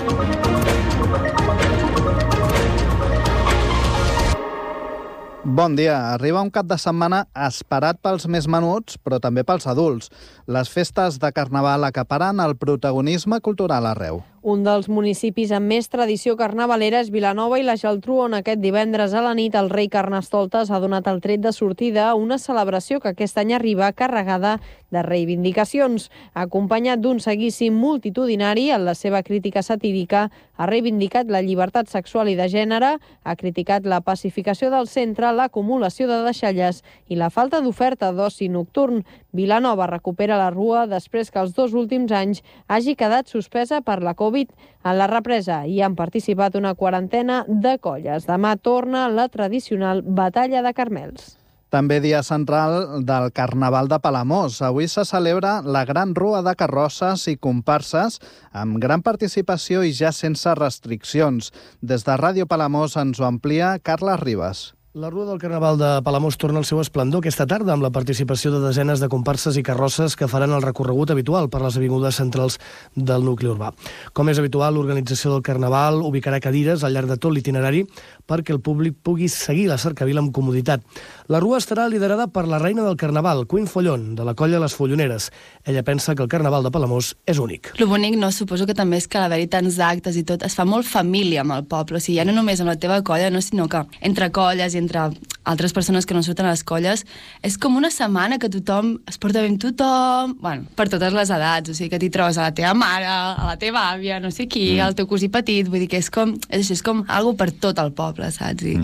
Bon dia. Arriba un cap de setmana esperat pels més menuts, però també pels adults. Les festes de Carnaval acaparen el protagonisme cultural arreu. Un dels municipis amb més tradició carnavalera és Vilanova i la Geltrú, on aquest divendres a la nit el rei Carnestoltes ha donat el tret de sortida a una celebració que aquest any arriba carregada de reivindicacions. Acompanyat d'un seguíssim multitudinari, en la seva crítica satírica ha reivindicat la llibertat sexual i de gènere, ha criticat la pacificació del centre, l'acumulació de deixalles i la falta d'oferta d'oci nocturn. Vilanova recupera la rua després que els 2 últims anys hagi quedat suspesa per la Covid. En la represa hi han participat una quarantena de colles. Demà torna la tradicional batalla de Carmels. També dia central del Carnaval de Palamós. Avui se celebra la gran rua de carrosses i comparses amb gran participació i ja sense restriccions. Des de Ràdio Palamós ens ho amplia Carles Ribas. La Rua del Carnaval de Palamós torna al seu esplendor aquesta tarda amb la participació de desenes de comparses i carrosses que faran el recorregut habitual per les avingudes centrals del nucli urbà. Com és habitual, l'organització del Carnaval ubicarà cadires al llarg de tot l'itinerari perquè el públic pugui seguir la cercavila amb comoditat. La rua estarà liderada per la reina del Carnaval, Queen Follon, de la colla Les Folloneres. Ella pensa que el Carnaval de Palamós és únic. Lo bonic, no, suposo que també és que al haver-hi tants actes i tot, es fa molt família amb el poble. O sigui, ja no només amb la teva colla, no, sinó que entre colles i entre altres persones que no surten a les colles, és com una setmana que tothom es porta bé amb tothom, bueno, per totes les edats, o sigui que t'hi trobes a la teva mare, a la teva àvia, no sé qui, al teu cosí petit, vull dir que és com algo per tot el poble, saps? I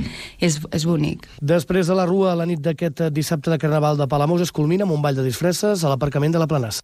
és bonic. Després de la rua, la nit d'aquest dissabte de Carnaval de Palamós es culmina amb un ball de disfresses a l'aparcament de la Planassa.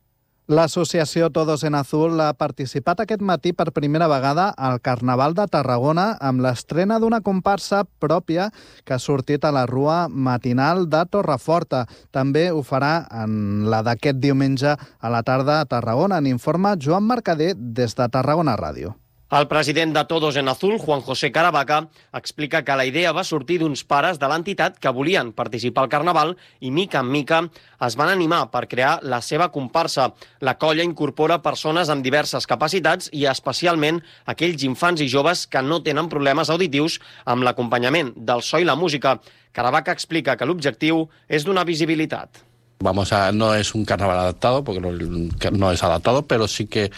L'associació Todos en Azul ha participat aquest matí per primera vegada al Carnaval de Tarragona amb l'estrena d'una comparsa pròpia que ha sortit a la rua matinal de Torreforta. També ho farà en la d'aquest diumenge a la tarda a Tarragona. N'informa Joan Mercader des de Tarragona Ràdio. El president de Todos en Azul, Juan José Caravaca, explica que la idea va sortir d'uns pares de l'entitat que volien participar al Carnaval i, mica en mica, es van animar per crear la seva comparsa. La colla incorpora persones amb diverses capacitats i especialment aquells infants i joves que no tenen problemes auditius amb l'acompanyament del so i la música. Caravaca explica que l'objectiu és donar visibilitat. No es un carnaval adaptado, porque no es adaptado, pero sí que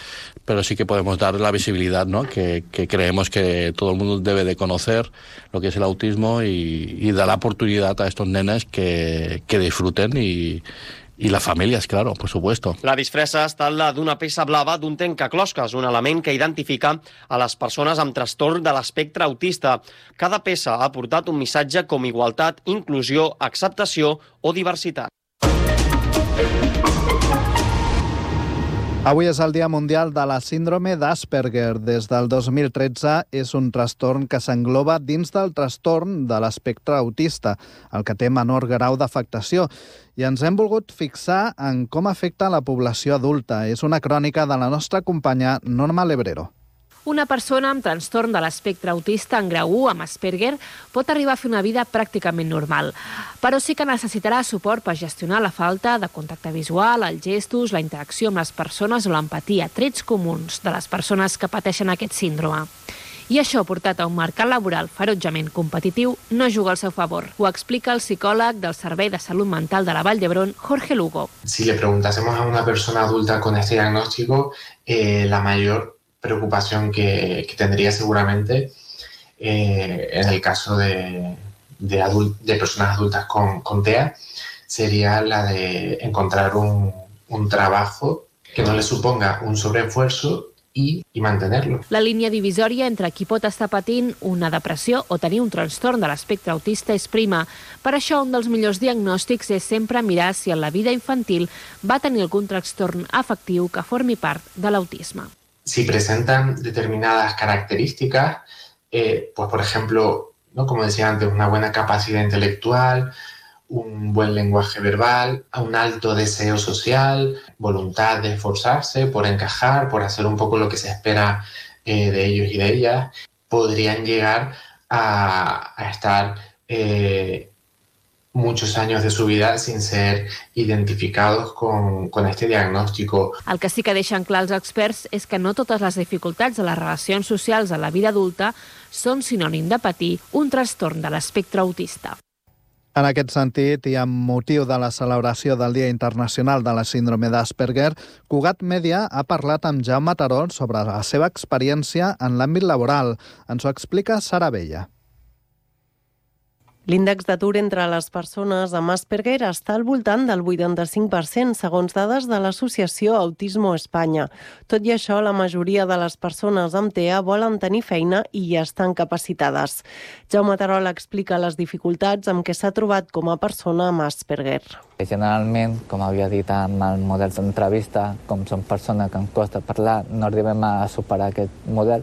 podemos dar la visibilidad, ¿no? que creemos que todo el mundo debe de conocer lo que es el autismo y dar la oportunidad a estos nenes que disfruten y les famílies, claro, por supuesto. La disfressa ha estat la d'una peça blava d'un trencaclosques, un element que identifica a les persones amb trastorn de l'espectre autista. Cada peça ha portat un missatge com igualtat, inclusió, acceptació o diversitat. Avui és el Dia Mundial de la Síndrome d'Asperger. Des del 2013 és un trastorn que s'engloba dins del trastorn de l'espectre autista, el que té menor grau d'afectació. I ens hem volgut fixar en com afecta la població adulta. És una crònica de la nostra companya Norma Lebrero. Una persona amb trastorn de l'espectre autista en grau 1 amb Asperger pot arribar a fer una vida pràcticament normal, però sí que necessitarà suport per gestionar la falta de contacte visual, els gestos, la interacció amb les persones o l'empatia, trets comuns de les persones que pateixen aquest síndrome. I això, portat a un mercat laboral ferotgement competitiu, no juga al seu favor. Ho explica el psicòleg del Servei de Salut Mental de la Vall d'Hebron, Jorge Lugo. Si le preguntásemos a una persona adulta con este diagnóstico, la mayor preocupación que tendría seguramente en el caso de personas adultas con TEA sería la de encontrar un trabajo que no le suponga un sobreesfuerzo i mantenerlo. La línia divisòria entre qui pot estar patint una depressió o tenir un trastorn de l'espectre autista és prima. Per això, un dels millors diagnòstics és sempre mirar si en la vida infantil va tenir algun trastorn afectiu que formi part de l'autisme. Si presentan determinadas características, pues por ejemplo, ¿no? Como decía antes, una buena capacidad intelectual, un buen lenguaje verbal, un alto deseo social, voluntad de esforzarse por encajar, por hacer un poco lo que se espera de ellos y de ellas, podrían llegar a estar muchos años de su vida sin ser identificados con este diagnóstico. El que sí que deixen clar els experts és que no totes les dificultats de les relacions socials a la vida adulta són sinònim de patir un trastorn de l'espectre autista. En aquest sentit, i amb motiu de la celebració del Dia Internacional de la Síndrome d'Asperger, Cugat Mèdia ha parlat amb Jaume Terol sobre la seva experiència en l'àmbit laboral. Ens ho explica Sara Bella. L'índex d'atur entre les persones amb Asperger està al voltant del 85%, segons dades de l'associació Autismo Espanya. Tot i això, la majoria de les persones amb TEA volen tenir feina i ja estan capacitades. Jaume Terol explica les dificultats amb què s'ha trobat com a persona amb Asperger. Generalment, com havia dit amb el model d'entrevista, com som persones que ens costa parlar, no arribem a superar aquest model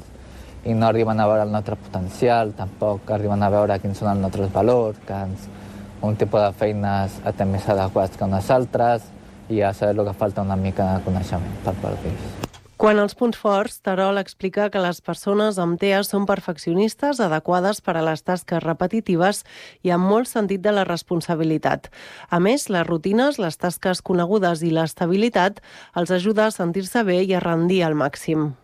i no arriben a veure el nostre potencial, tampoc arriben a veure quins són els nostres valors, que un tipus de feines estan més adequats que unes altres i a saber el que falta una mica de coneixement per part d'ells. Quan als punts forts, Terol explica que les persones amb TEA són perfeccionistes, adequades per a les tasques repetitives i amb molt sentit de la responsabilitat. A més, les rutines, les tasques conegudes i l'estabilitat els ajuda a sentir-se bé i a rendir al màxim.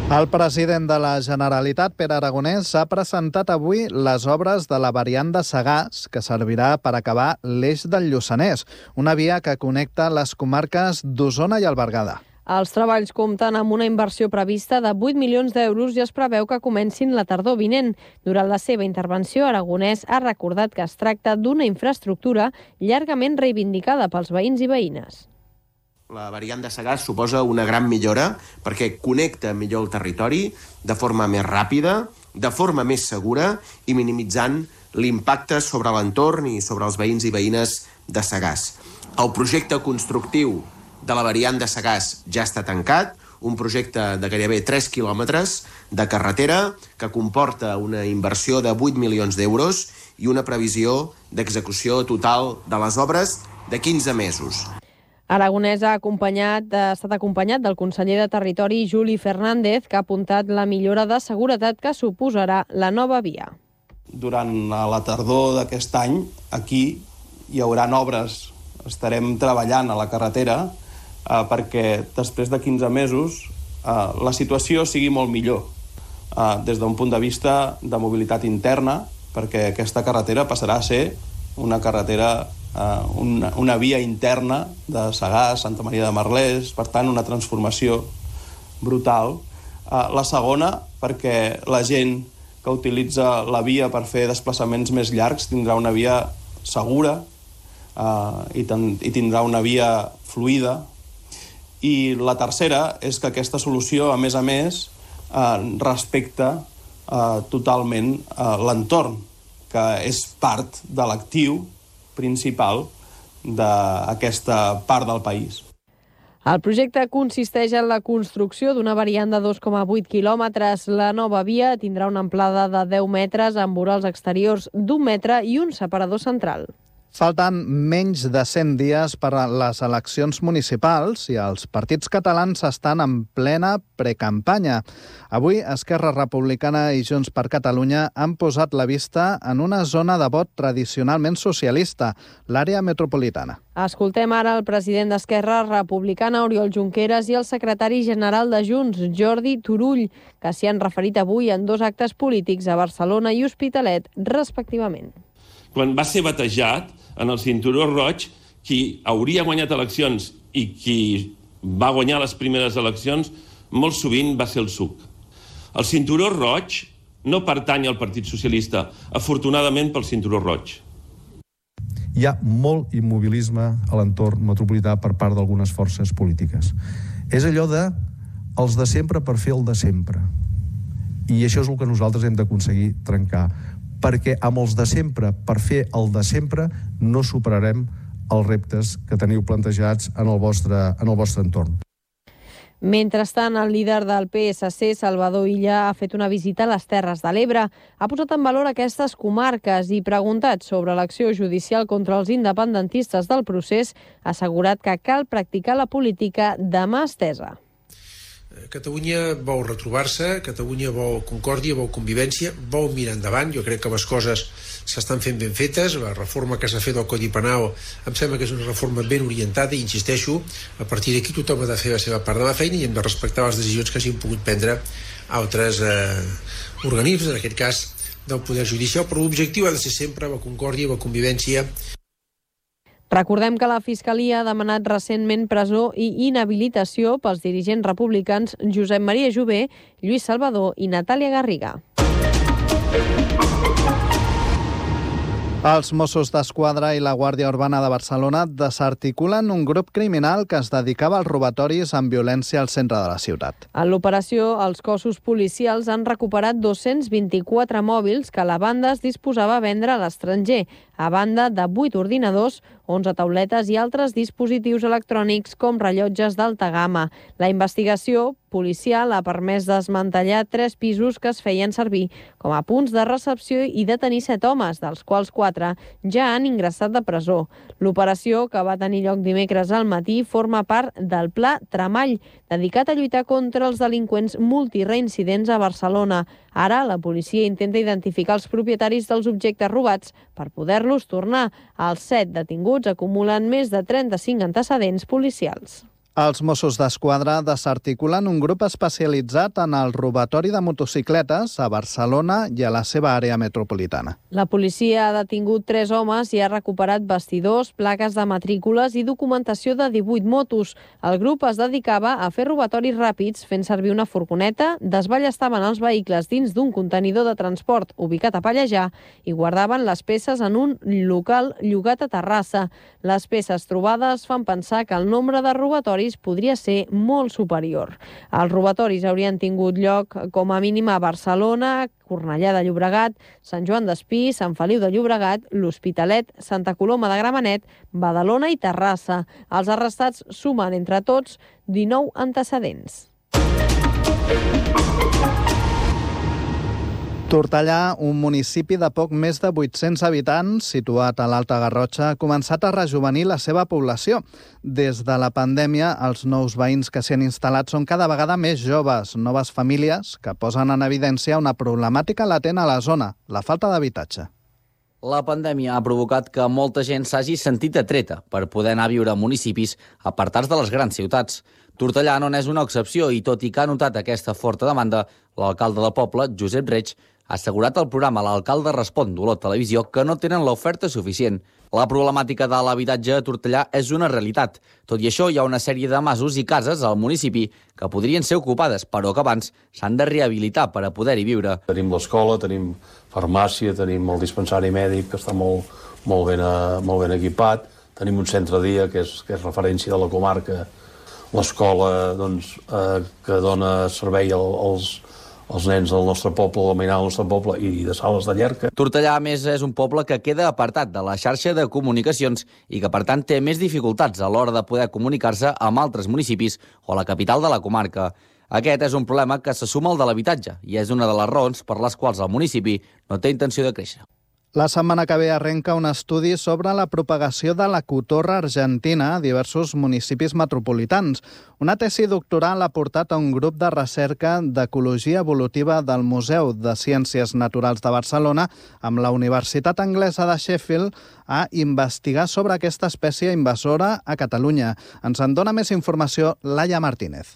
El president de la Generalitat, Pere Aragonès, ha presentat avui les obres de la variant de Sagàs, que servirà per acabar l'eix del Lluçanès, una via que connecta les comarques d'Osona i el Berguedà. Els treballs compten amb una inversió prevista de 8 milions d'euros i es preveu que comencin la tardor vinent. Durant la seva intervenció, Aragonès ha recordat que es tracta d'una infraestructura llargament reivindicada pels veïns i veïnes. La variant de Sagàs suposa una gran millora perquè connecta millor el territori de forma més ràpida, de forma més segura i minimitzant l'impacte sobre l'entorn i sobre els veïns i veïnes de Sagàs. El projecte constructiu de la variant de Sagàs ja està tancat, un projecte de gairebé 3 quilòmetres de carretera que comporta una inversió de 8 milions d'euros i una previsió d'execució total de les obres de 15 mesos. Aragonès ha estat acompanyat del conseller de Territori, Juli Fernández, que ha apuntat la millora de seguretat que suposarà la nova via. Durant la tardor d'aquest any, aquí hi haurà obres. Estarem treballant a la carretera perquè després de 15 mesos la situació sigui molt millor des d'un punt de vista de mobilitat interna, perquè aquesta carretera passarà a ser una carretera, una via interna de Sagàs, Santa Maria de Merlès, per tant, una transformació brutal. La segona, perquè la gent que utilitza la via per fer desplaçaments més llargs tindrà una via segura i tindrà una via fluida. I la tercera és que aquesta solució, a més, respecta totalment l'entorn, que és part de l'actiu principal d'aquesta part del país. El projecte consisteix en la construcció d'una variant de 2,8 quilòmetres. La nova via tindrà una amplada de 10 metres amb vorals exteriors d'1 metre i un separador central. Falten menys de 100 dies per a les eleccions municipals i els partits catalans estan en plena precampanya. Avui, Esquerra Republicana i Junts per Catalunya han posat la vista en una zona de vot tradicionalment socialista, l'àrea metropolitana. Escoltem ara el president d'Esquerra Republicana, Oriol Junqueras, i el secretari general de Junts, Jordi Turull, que s'hi han referit avui en 2 actes polítics a Barcelona i Hospitalet, respectivament. Quan va ser batejat en el cinturó roig, qui hauria guanyat eleccions i qui va guanyar les primeres eleccions, molt sovint va ser el PSUC. El cinturó roig no pertany al Partit Socialista, afortunadament pel cinturó roig. Hi ha molt immobilisme a l'entorn metropolità per part d'algunes forces polítiques. És allò de els de sempre per fer el de sempre. I això és el que nosaltres hem d'aconseguir trencar, perquè amb els de sempre, per fer el de sempre, no superarem els reptes que teniu plantejats en el vostre entorn. Mentrestant, el líder del PSC, Salvador Illa, ha fet una visita a les Terres de l'Ebre. Ha posat en valor aquestes comarques i preguntat sobre l'acció judicial contra els independentistes del procés, ha assegurat que cal practicar la política de mà estesa. Catalunya vol retrobar-se, Catalunya vol concòrdia, vol convivència, vol mirar endavant. Jo crec que les coses s'estan fent ben fetes. La reforma que s'ha fet del Codi Penal em sembla que és una reforma ben orientada i, insisteixo, a partir d'aquí tothom ha de fer la seva part de la feina i hem de respectar les decisions que hagin pogut prendre altres organismes, en aquest cas del Poder Judicial, però l'objectiu ha de ser sempre la concòrdia, la convivència. Recordem que la Fiscalia ha demanat recentment presó i inhabilitació pels dirigents republicans Josep Maria Jové, Lluís Salvador i Natàlia Garriga. Els Mossos d'Esquadra i la Guàrdia Urbana de Barcelona desarticulen un grup criminal que es dedicava als robatoris amb violència al centre de la ciutat. En l'operació, els cossos policials han recuperat 224 mòbils que la banda es disposava a vendre a l'estranger, a banda de 8 ordinadors, 11 tauletes i altres dispositius electrònics com rellotges d'alta gamma. La investigació policial ha permès desmantellar 3 pisos que es feien servir com a punts de recepció i detenir 7 homes, dels quals 4 ja han ingressat de presó. L'operació, que va tenir lloc dimecres al matí, forma part del Pla Tramall, dedicat a lluitar contra els delinqüents multireincidents a Barcelona. Ara, la policia intenta identificar els propietaris dels objectes robats per poder-los tornar. Els 7 detinguts acumulen més de 35 antecedents policials. Els Mossos d'Esquadra desarticulen un grup especialitzat en el robatori de motocicletes a Barcelona i a la seva àrea metropolitana. La policia ha detingut 3 homes i ha recuperat bastidors, plaques de matrícules i documentació de 18 motos. El grup es dedicava a fer robatoris ràpids fent servir una furgoneta, desballestaven els vehicles dins d'un contenidor de transport ubicat a Pallejà i guardaven les peces en un local llogat a Terrassa. Les peces trobades fan pensar que el nombre de robatoris podria ser molt superior. Els robatoris haurien tingut lloc com a mínim a Barcelona, Cornellà de Llobregat, Sant Joan d'Espí, Sant Feliu de Llobregat, l'Hospitalet, Santa Coloma de Gramenet, Badalona i Terrassa. Els arrestats sumen entre tots 19 antecedents. Tortellà, un municipi de poc més de 800 habitants, situat a l'Alta Garrotxa, ha començat a rejovenir la seva població. Des de la pandèmia, els nous veïns que s'hi han instal·lat són cada vegada més joves, noves famílies que posen en evidència una problemàtica latent a la zona, la falta d'habitatge. La pandèmia ha provocat que molta gent s'hagi sentit atreta per poder anar a viure a municipis apartats de les grans ciutats. Tortellà no n'és una excepció i, tot i que ha notat aquesta forta demanda, l'alcalde del poble, Josep Reig, ha assegurat al programa L'Alcalde Respon d'Olot Televisió que no tenen l'oferta suficient. La problemàtica de l'habitatge a Tortellà és una realitat. Tot i això, hi ha una sèrie de masos i cases al municipi que podrien ser ocupades, però que abans s'han de rehabilitar per a poder-hi viure. Tenim l'escola, tenim farmàcia, tenim el dispensari mèdic, que està molt ben equipat, tenim un centre dia que és referència de la comarca, l'escola que dona servei als nens del nostre poble, del mainar del nostre poble i de sales de Llerca. Tortellà, a més, és un poble que queda apartat de la xarxa de comunicacions i que, per tant, té més dificultats a l'hora de poder comunicar-se amb altres municipis o la capital de la comarca. Aquest és un problema que se suma al de l'habitatge i és una de les raons per les quals el municipi no té intenció de créixer. La setmana que ve arrenca un estudi sobre la propagació de la cotorra argentina a diversos municipis metropolitans. Una tesi doctoral ha portat a un grup de recerca d'ecologia evolutiva del Museu de Ciències Naturals de Barcelona amb la Universitat Anglesa de Sheffield a investigar sobre aquesta espècie invasora a Catalunya. Ens en dona més informació Laia Martínez.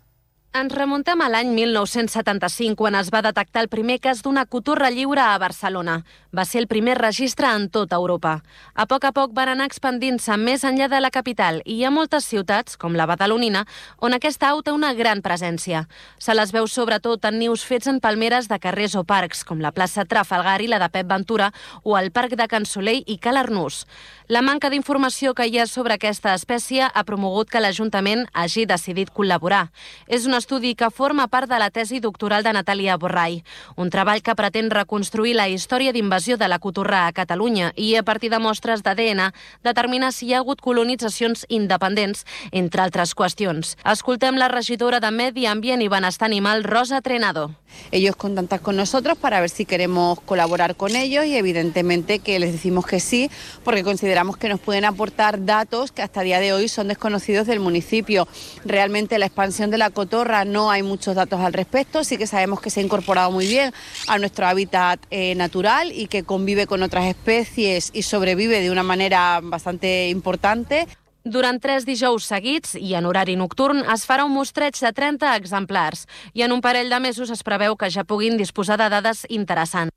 Ens remuntem a l'any 1975, quan es va detectar el primer cas d'una cotorra lliure a Barcelona. Va ser el primer registre en tota Europa. A poc van anar expandint-se més enllà de la capital i hi ha moltes ciutats, com la badalonina, on aquesta au té una gran presència. Se les veu sobretot en nius fets en palmeres de carrers o parcs, com la plaça Trafalgar i la de Pep Ventura, o el parc de Can Soleil i Ca l'Arnús. La manca d'informació que hi ha sobre aquesta espècie ha promogut que l'Ajuntament hagi decidit col·laborar. És un estudi que forma part de la tesi doctoral de Natàlia Borrai, un treball que pretén reconstruir la història d'invasió de la cotorra a Catalunya i, a partir de mostres d'ADN, determinar si hi ha hagut colonitzacions independents, entre altres qüestions. Escoltem la regidora de Medi Ambient i Benestar Animal, Rosa Trenado. Ellos contactan con nosotros para ver si queremos colaborar con ellos y evidentemente que les decimos que sí, porque consideramos que nos pueden aportar datos que hasta el día de hoy son desconocidos del municipio. Realmente la expansión de la cotorra tierra no hay muchos datos al respecto, sí que sabemos que se ha incorporado muy bien a nuestro hábitat natural y que convive con otras especies y sobrevive de una manera bastante importante. Durant 3 dijous seguits i en horari nocturn es farà un mostreig de 30 exemplars i en un parell de mesos es preveu que ja puguin disposar de dades interessants.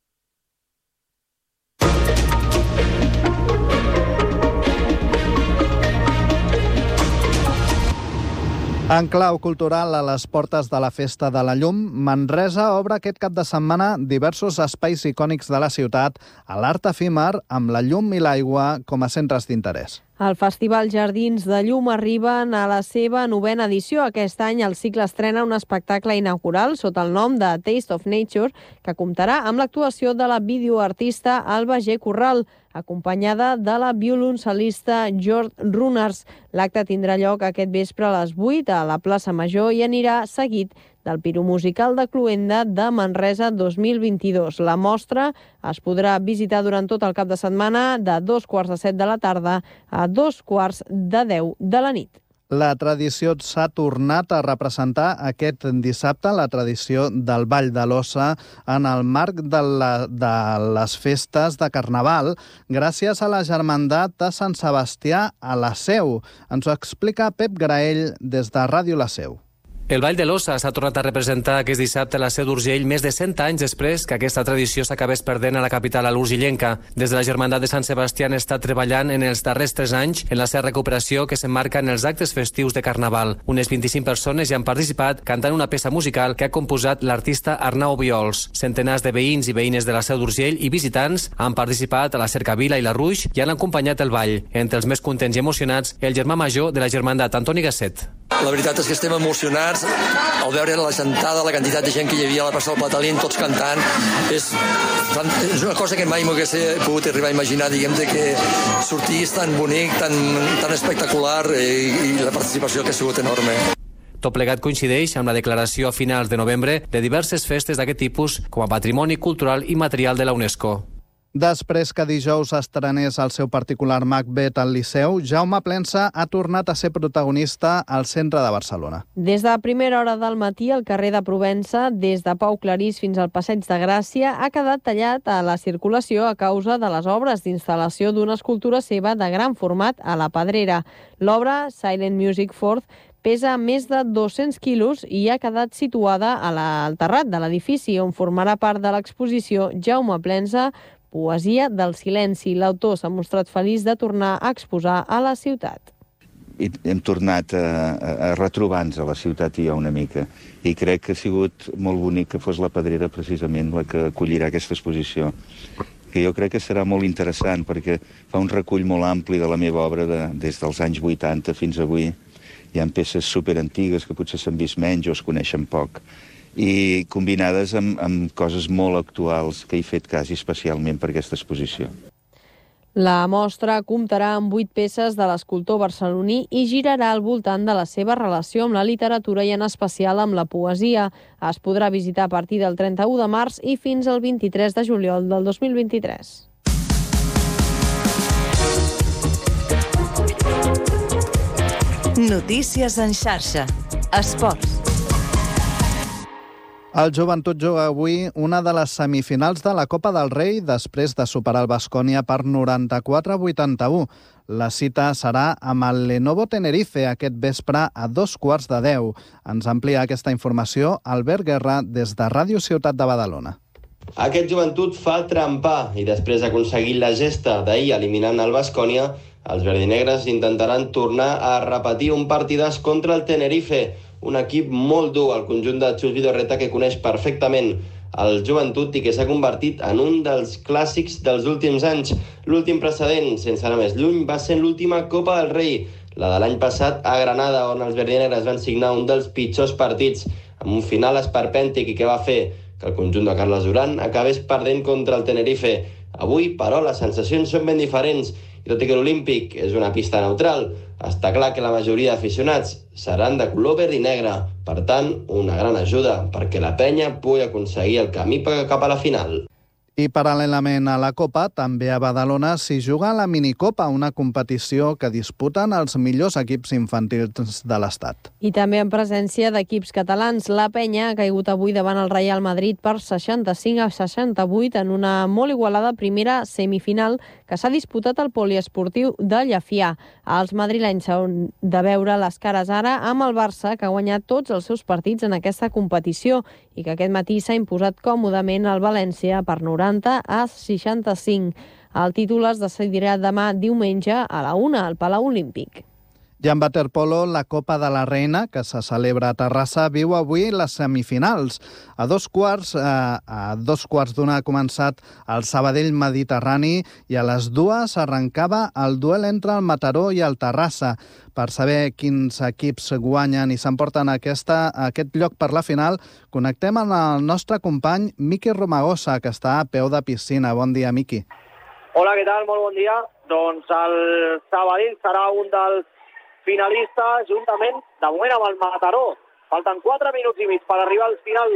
En clau cultural, a les portes de la Festa de la Llum, Manresa obre aquest cap de setmana diversos espais icònics de la ciutat a l'art efímer amb la llum i l'aigua com a centres d'interès. El Festival Jardins de Llum arriben a la seva 9a edició. Aquest any el cicle estrena un espectacle inaugural sota el nom de Taste of Nature, que comptarà amb l'actuació de la videoartista Alba G. Corral, acompanyada de la violoncel·lista Jord Runers. L'acte tindrà lloc aquest vespre a les 8 a la plaça Major i anirà seguit del piromusical de Cluenda de Manresa 2022. La mostra es podrà visitar durant tot el cap de setmana de 2:45 de la tarda a 2:10 de la nit. La tradició s'ha tornat a representar aquest dissabte, la tradició del Ball de l'Ossa, en el marc de les festes de Carnaval, gràcies a la Germandat de Sant Sebastià a la Seu. Ens ho explica Pep Graell des de Ràdio La Seu. El Ball de l'Ossa s'ha tornat a representar aquest dissabte a la Seu d'Urgell més de 100 anys després que aquesta tradició s'acabés perdent a la capital urgellenca. Des de la Germandat de Sant Sebastià han estat treballant en els darrers 3 anys en la seva recuperació que s'emmarca en els actes festius de Carnaval. Unes 25 persones hi han participat cantant una peça musical que ha composat l'artista Arnau Viols. Centenars de veïns i veïnes de la Seu d'Urgell i visitants han participat a la Cercavila i la Ruix i han acompanyat el ball. Entre els més contents i emocionats, el germà major de la Germandat, Antoni Gasset. La veritat és que estem emocionats al veure la gentada, la quantitat de gent que hi havia a la plaça del Patalín, tots cantant. És una cosa que mai m'hagués pogut arribar a imaginar, diguem, que sortís tan bonic, tan espectacular i la participació que ha sigut enorme. Tot plegat coincideix amb la declaració a finals de novembre de diverses festes d'aquest tipus com a patrimoni cultural i material de la UNESCO. Després que dijous estrenés el seu particular Macbeth al Liceu, Jaume Plensa ha tornat a ser protagonista al centre de Barcelona. Des de primera hora del matí, el carrer de Provença, des de Pau Clarís fins al Passeig de Gràcia, ha quedat tallat a la circulació a causa de les obres d'instal·lació d'una escultura seva de gran format a la Pedrera. L'obra, Silent Music Fourth, pesa més de 200 quilos i ha quedat situada al terrat de l'edifici, on formarà part de l'exposició Jaume Plensa, Poesia del silenci. L'autor s'ha mostrat feliç de tornar a exposar a la ciutat. Hem tornat a retrobar-nos a la ciutat i jo una mica. I crec que ha sigut molt bonic que fos la Pedrera precisament la que acollirà aquesta exposició, que jo crec que serà molt interessant perquè fa un recull molt ampli de la meva obra des dels anys 80 fins avui. Hi ha peces superantigues que potser s'han vist menys o es coneixen poc, i combinades amb coses molt actuals que he fet quasi especialment per aquesta exposició. La mostra comptarà amb 8 peces de l'escultor barceloní i girarà al voltant de la seva relació amb la literatura i en especial amb la poesia. Es podrà visitar a partir del 31 de març i fins al 23 de juliol del 2023. Notícies en xarxa. Esports. El Joventut juga avui una de les semifinals de la Copa del Rei després de superar el Baskonia per 94-81. La cita serà amb el Lenovo Tenerife aquest vespre a 9:15. Ens amplia aquesta informació Albert Guerra des de Ràdio Ciutat de Badalona. Aquest Joventut fa trempar i després d'aconseguir la gesta d'ahir eliminant el Baskonia, els verdinegres intentaran tornar a repetir un partidàs contra el Tenerife, un equip molt dur al conjunt de Xus Vidorreta que coneix perfectament el Joventut i que s'ha convertit en un dels clàssics dels últims anys. L'últim precedent, sense anar més lluny, va ser l'última Copa del Rei, la de l'any passat a Granada, on els verdinegres van signar un dels pitjors partits, amb un final esperpèntic i que va fer que el conjunt de Carles Duran acabés perdent contra el Tenerife. Avui, però, les sensacions són ben diferents i tot i que l'Olímpic és una pista neutral, està clar que la majoria d'aficionats seran de color verd i negre. Per tant, una gran ajuda perquè la penya pugui aconseguir el camí cap a la final. I paral·lelament a la Copa, també a Badalona s'hi juga la Minicopa, una competició que disputen els millors equips infantils de l'Estat. I també en presència d'equips catalans. La Penya ha caigut avui davant el Real Madrid per 65-68 en una molt igualada primera semifinal que s'ha disputat al poliesportiu de Llefià. Els madrilenys s'han de veure les cares ara amb el Barça, que ha guanyat tots els seus partits en aquesta competició i que aquest matí s'ha imposat còmodament al València per 90-65. El títol es decidirà demà diumenge a la 1 al Palau Olímpic. I en waterpolo, la Copa de la Reina, que se celebra a Terrassa, viu avui les semifinals. A dos quarts d'una ha començat el Sabadell Mediterrani i a les 2 arrencava el duel entre el Mataró i el Terrassa. Per saber quins equips guanyen i s'emporten aquest lloc per la final, connectem amb el nostre company Miqui Romagosa, que està a peu de piscina. Bon dia, Miqui. Hola, què tal? Molt bon dia. Doncs el Sabadell serà un dels finalistes, juntament, de moment amb el Mataró. Falten 4 minuts i mig per arribar al final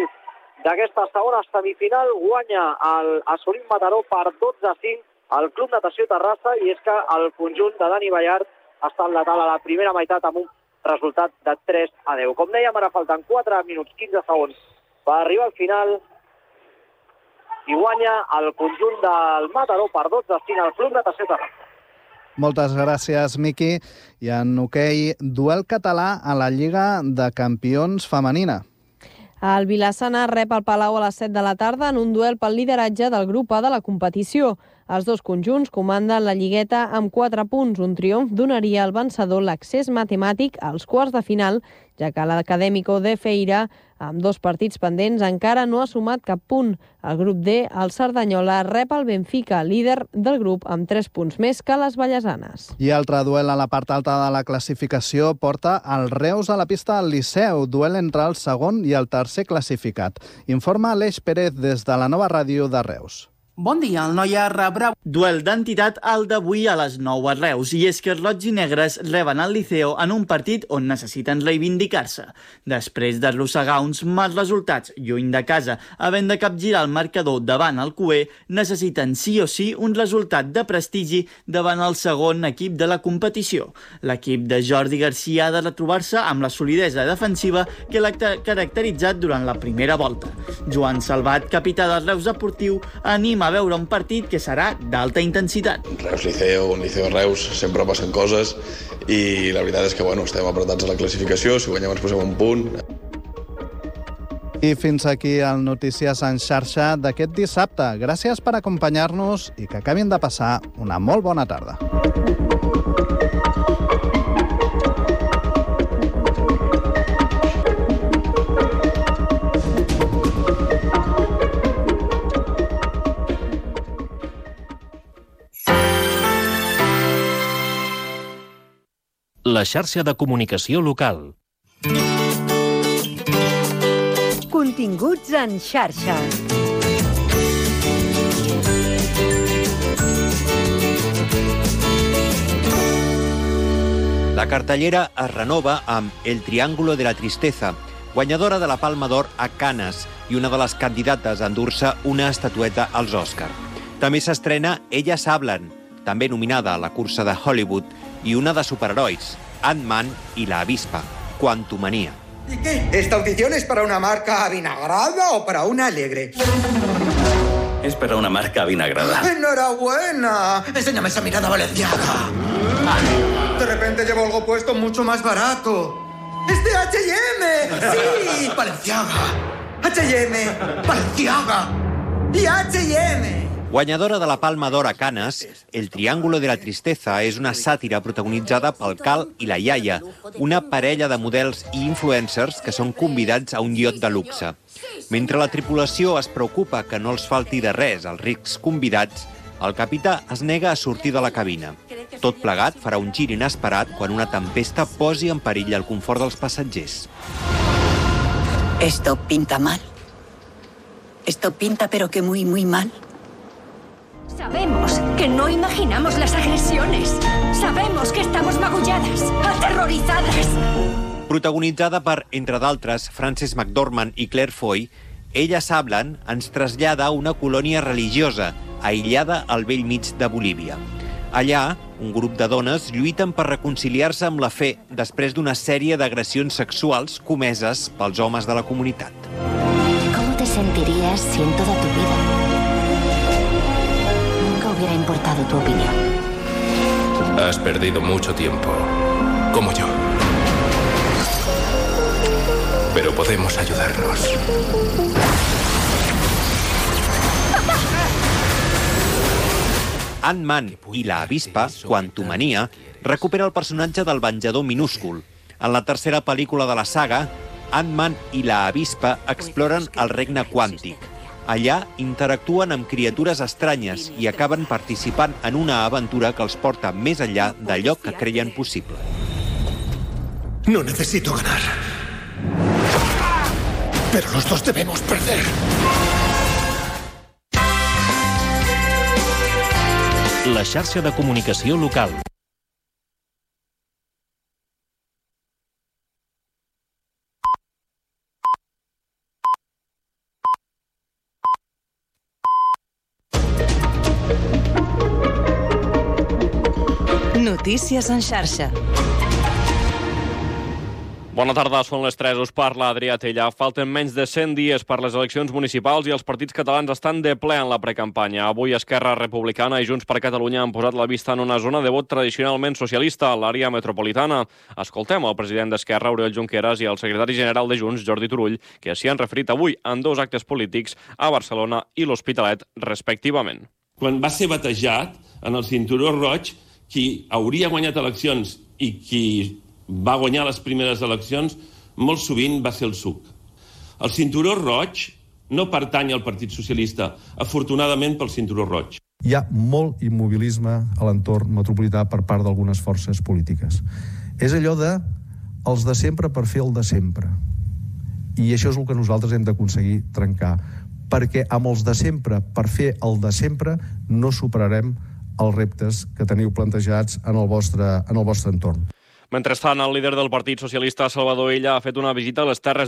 d'aquesta segona semifinal. Guanya el Assolim Mataró per 12-5 al Club Natació Terrassa, i és que el conjunt de Dani Ballart està en la taula a la primera meitat amb un resultat de 3-10. Com dèiem, ara falten 4 minuts 15 segons per arribar al final i guanya el conjunt del Mataró per 12-5 al Club Natació Terrassa. Moltes gràcies, Miqui. I en hoquei, duel català a la Lliga de Campions femenina. El Vilassana rep el Palau a les 7 de la tarda en un duel pel lideratge del grup A de la competició. Els dos conjunts comanden la lligueta amb 4 punts. Un triomf donaria al vencedor l'accés matemàtic als quarts de final, ja que l'Académico de Feira, amb 2 partits pendents, encara no ha sumat cap punt. El grup D, el Cerdanyola, rep el Benfica, líder del grup, amb 3 punts més que les vallesanes. I altre duel a la part alta de la classificació porta el Reus a la pista del Liceu, duel entre el segon i el tercer classificat. Informa Aleix Pérez des de la Nova Ràdio de Reus. Bon dia, el Noia rebrà duel d'entitat al d'avui a les 9 a Reus, i és que els roig i negres reben el Liceo en un partit on necessiten reivindicar-se. Després d'arrossegar uns mals resultats lluny de casa, havent de capgirar el marcador davant el Cué, necessiten sí o sí un resultat de prestigi davant el segon equip de la competició. L'equip de Jordi Garcia ha de retrobar-se amb la solidesa defensiva que l'ha caracteritzat durant la primera volta. Joan Salvat, capità del Reus Deportiu, anima a veure un partit que serà d'alta intensitat. Reus-Liceo, un Liceo-Reus, sempre passen coses i la veritat és que estem apretats a la classificació, si guanyem ens posem un punt. I fins aquí el Notícies en xarxa d'aquest dissabte. Gràcies per acompanyar-nos i que acabin de passar una molt bona tarda. La xarxa de comunicació local. Continguts en xarxa. La cartellera es renova amb El Triángulo de la Tristeza, guanyadora de la Palma d'Or a Cannes i una de les candidates a endur-se una estatueta als Òscar. També s'estrena Ellas Hablan, també nominada a la cursa de Hollywood, i una de superherois, Ant-Man y la avispa, Quantumania. ¿Y qué? ¿Esta audición es para una marca avinagrada o para una alegre? Es para una marca avinagrada. ¡Enhorabuena! Enséñame esa mirada valenciaga. De repente llevo algo puesto mucho más barato. ¡Es de H&M! ¡Sí! Valenciaga. H&M. Valenciaga. Y H&M. Guanyadora de la Palma d'Or a Cannes, El Triángulo de la Tristeza és una sàtira protagonitzada pel Cal i la Iaia, una parella de models i influencers que són convidats a un iot de luxe. Mentre la tripulació es preocupa que no els falti de res als rics convidats, el capità es nega a sortir de la cabina. Tot plegat farà un gir inesperat quan una tempesta posi en perill el confort dels passatgers. Esto pinta mal. Esto pinta pero que muy, muy mal. Sabemos que no imaginamos las agresiones. Sabemos que estamos magulladas, aterrorizadas. Protagonitzada per, entre d'altres, Frances McDormand i Claire Foy, Ella Sablan ens trasllada a una colònia religiosa, aïllada al bell mig de Bolívia. Allà, un grup de dones lluiten per reconciliar-se amb la fe després d'una sèrie d'agressions sexuals comeses pels homes de la comunitat. ¿Cómo te sentirías si en toda tu vida nunca hubiera importado tu opinión? Has perdido mucho tiempo, como yo. Pero podemos ayudarnos. Ant-Man i la avispa, Quantumania, recupera el personatge del venjador minúscul. En la tercera pel·lícula de la saga, Ant-Man i la avispa exploren el regne quàntic. Allà interactuen amb criatures estranyes i acaben participant en una aventura que els porta més enllà d'allò que creien possible. No necesito ganar. Pero los dos debemos perder. La xarxa de comunicació local. Notícies en xarxa. Bona tarda, són les 3, us parla Adrià Tella. Falten menys de 100 dies per les eleccions municipals i els partits catalans estan de ple en la precampanya. Avui Esquerra Republicana i Junts per Catalunya han posat la vista en una zona de vot tradicionalment socialista, a l'àrea metropolitana. Escoltem el president d'Esquerra, Oriol Junqueras, i el secretari general de Junts, Jordi Turull, que s'hi han referit avui en 2 actes polítics a Barcelona i l'Hospitalet, respectivament. Quan va ser batejat en el cinturó roig, qui hauria guanyat eleccions i qui va guanyar les primeres eleccions, molt sovint va ser el PSUC. El cinturó roig no pertany al Partit Socialista, afortunadament pel cinturó roig. Hi ha molt immobilisme a l'entorn metropolità per part d'algunes forces polítiques. És allò de els de sempre per fer el de sempre. I això és el que nosaltres hem d'aconseguir trencar, perquè amb els de sempre per fer el de sempre no superarem els reptes que teniu plantejats en el vostre entorn. Mentrestant, el líder del Partit Socialista, Salvador Illa, ha fet una visita a les terres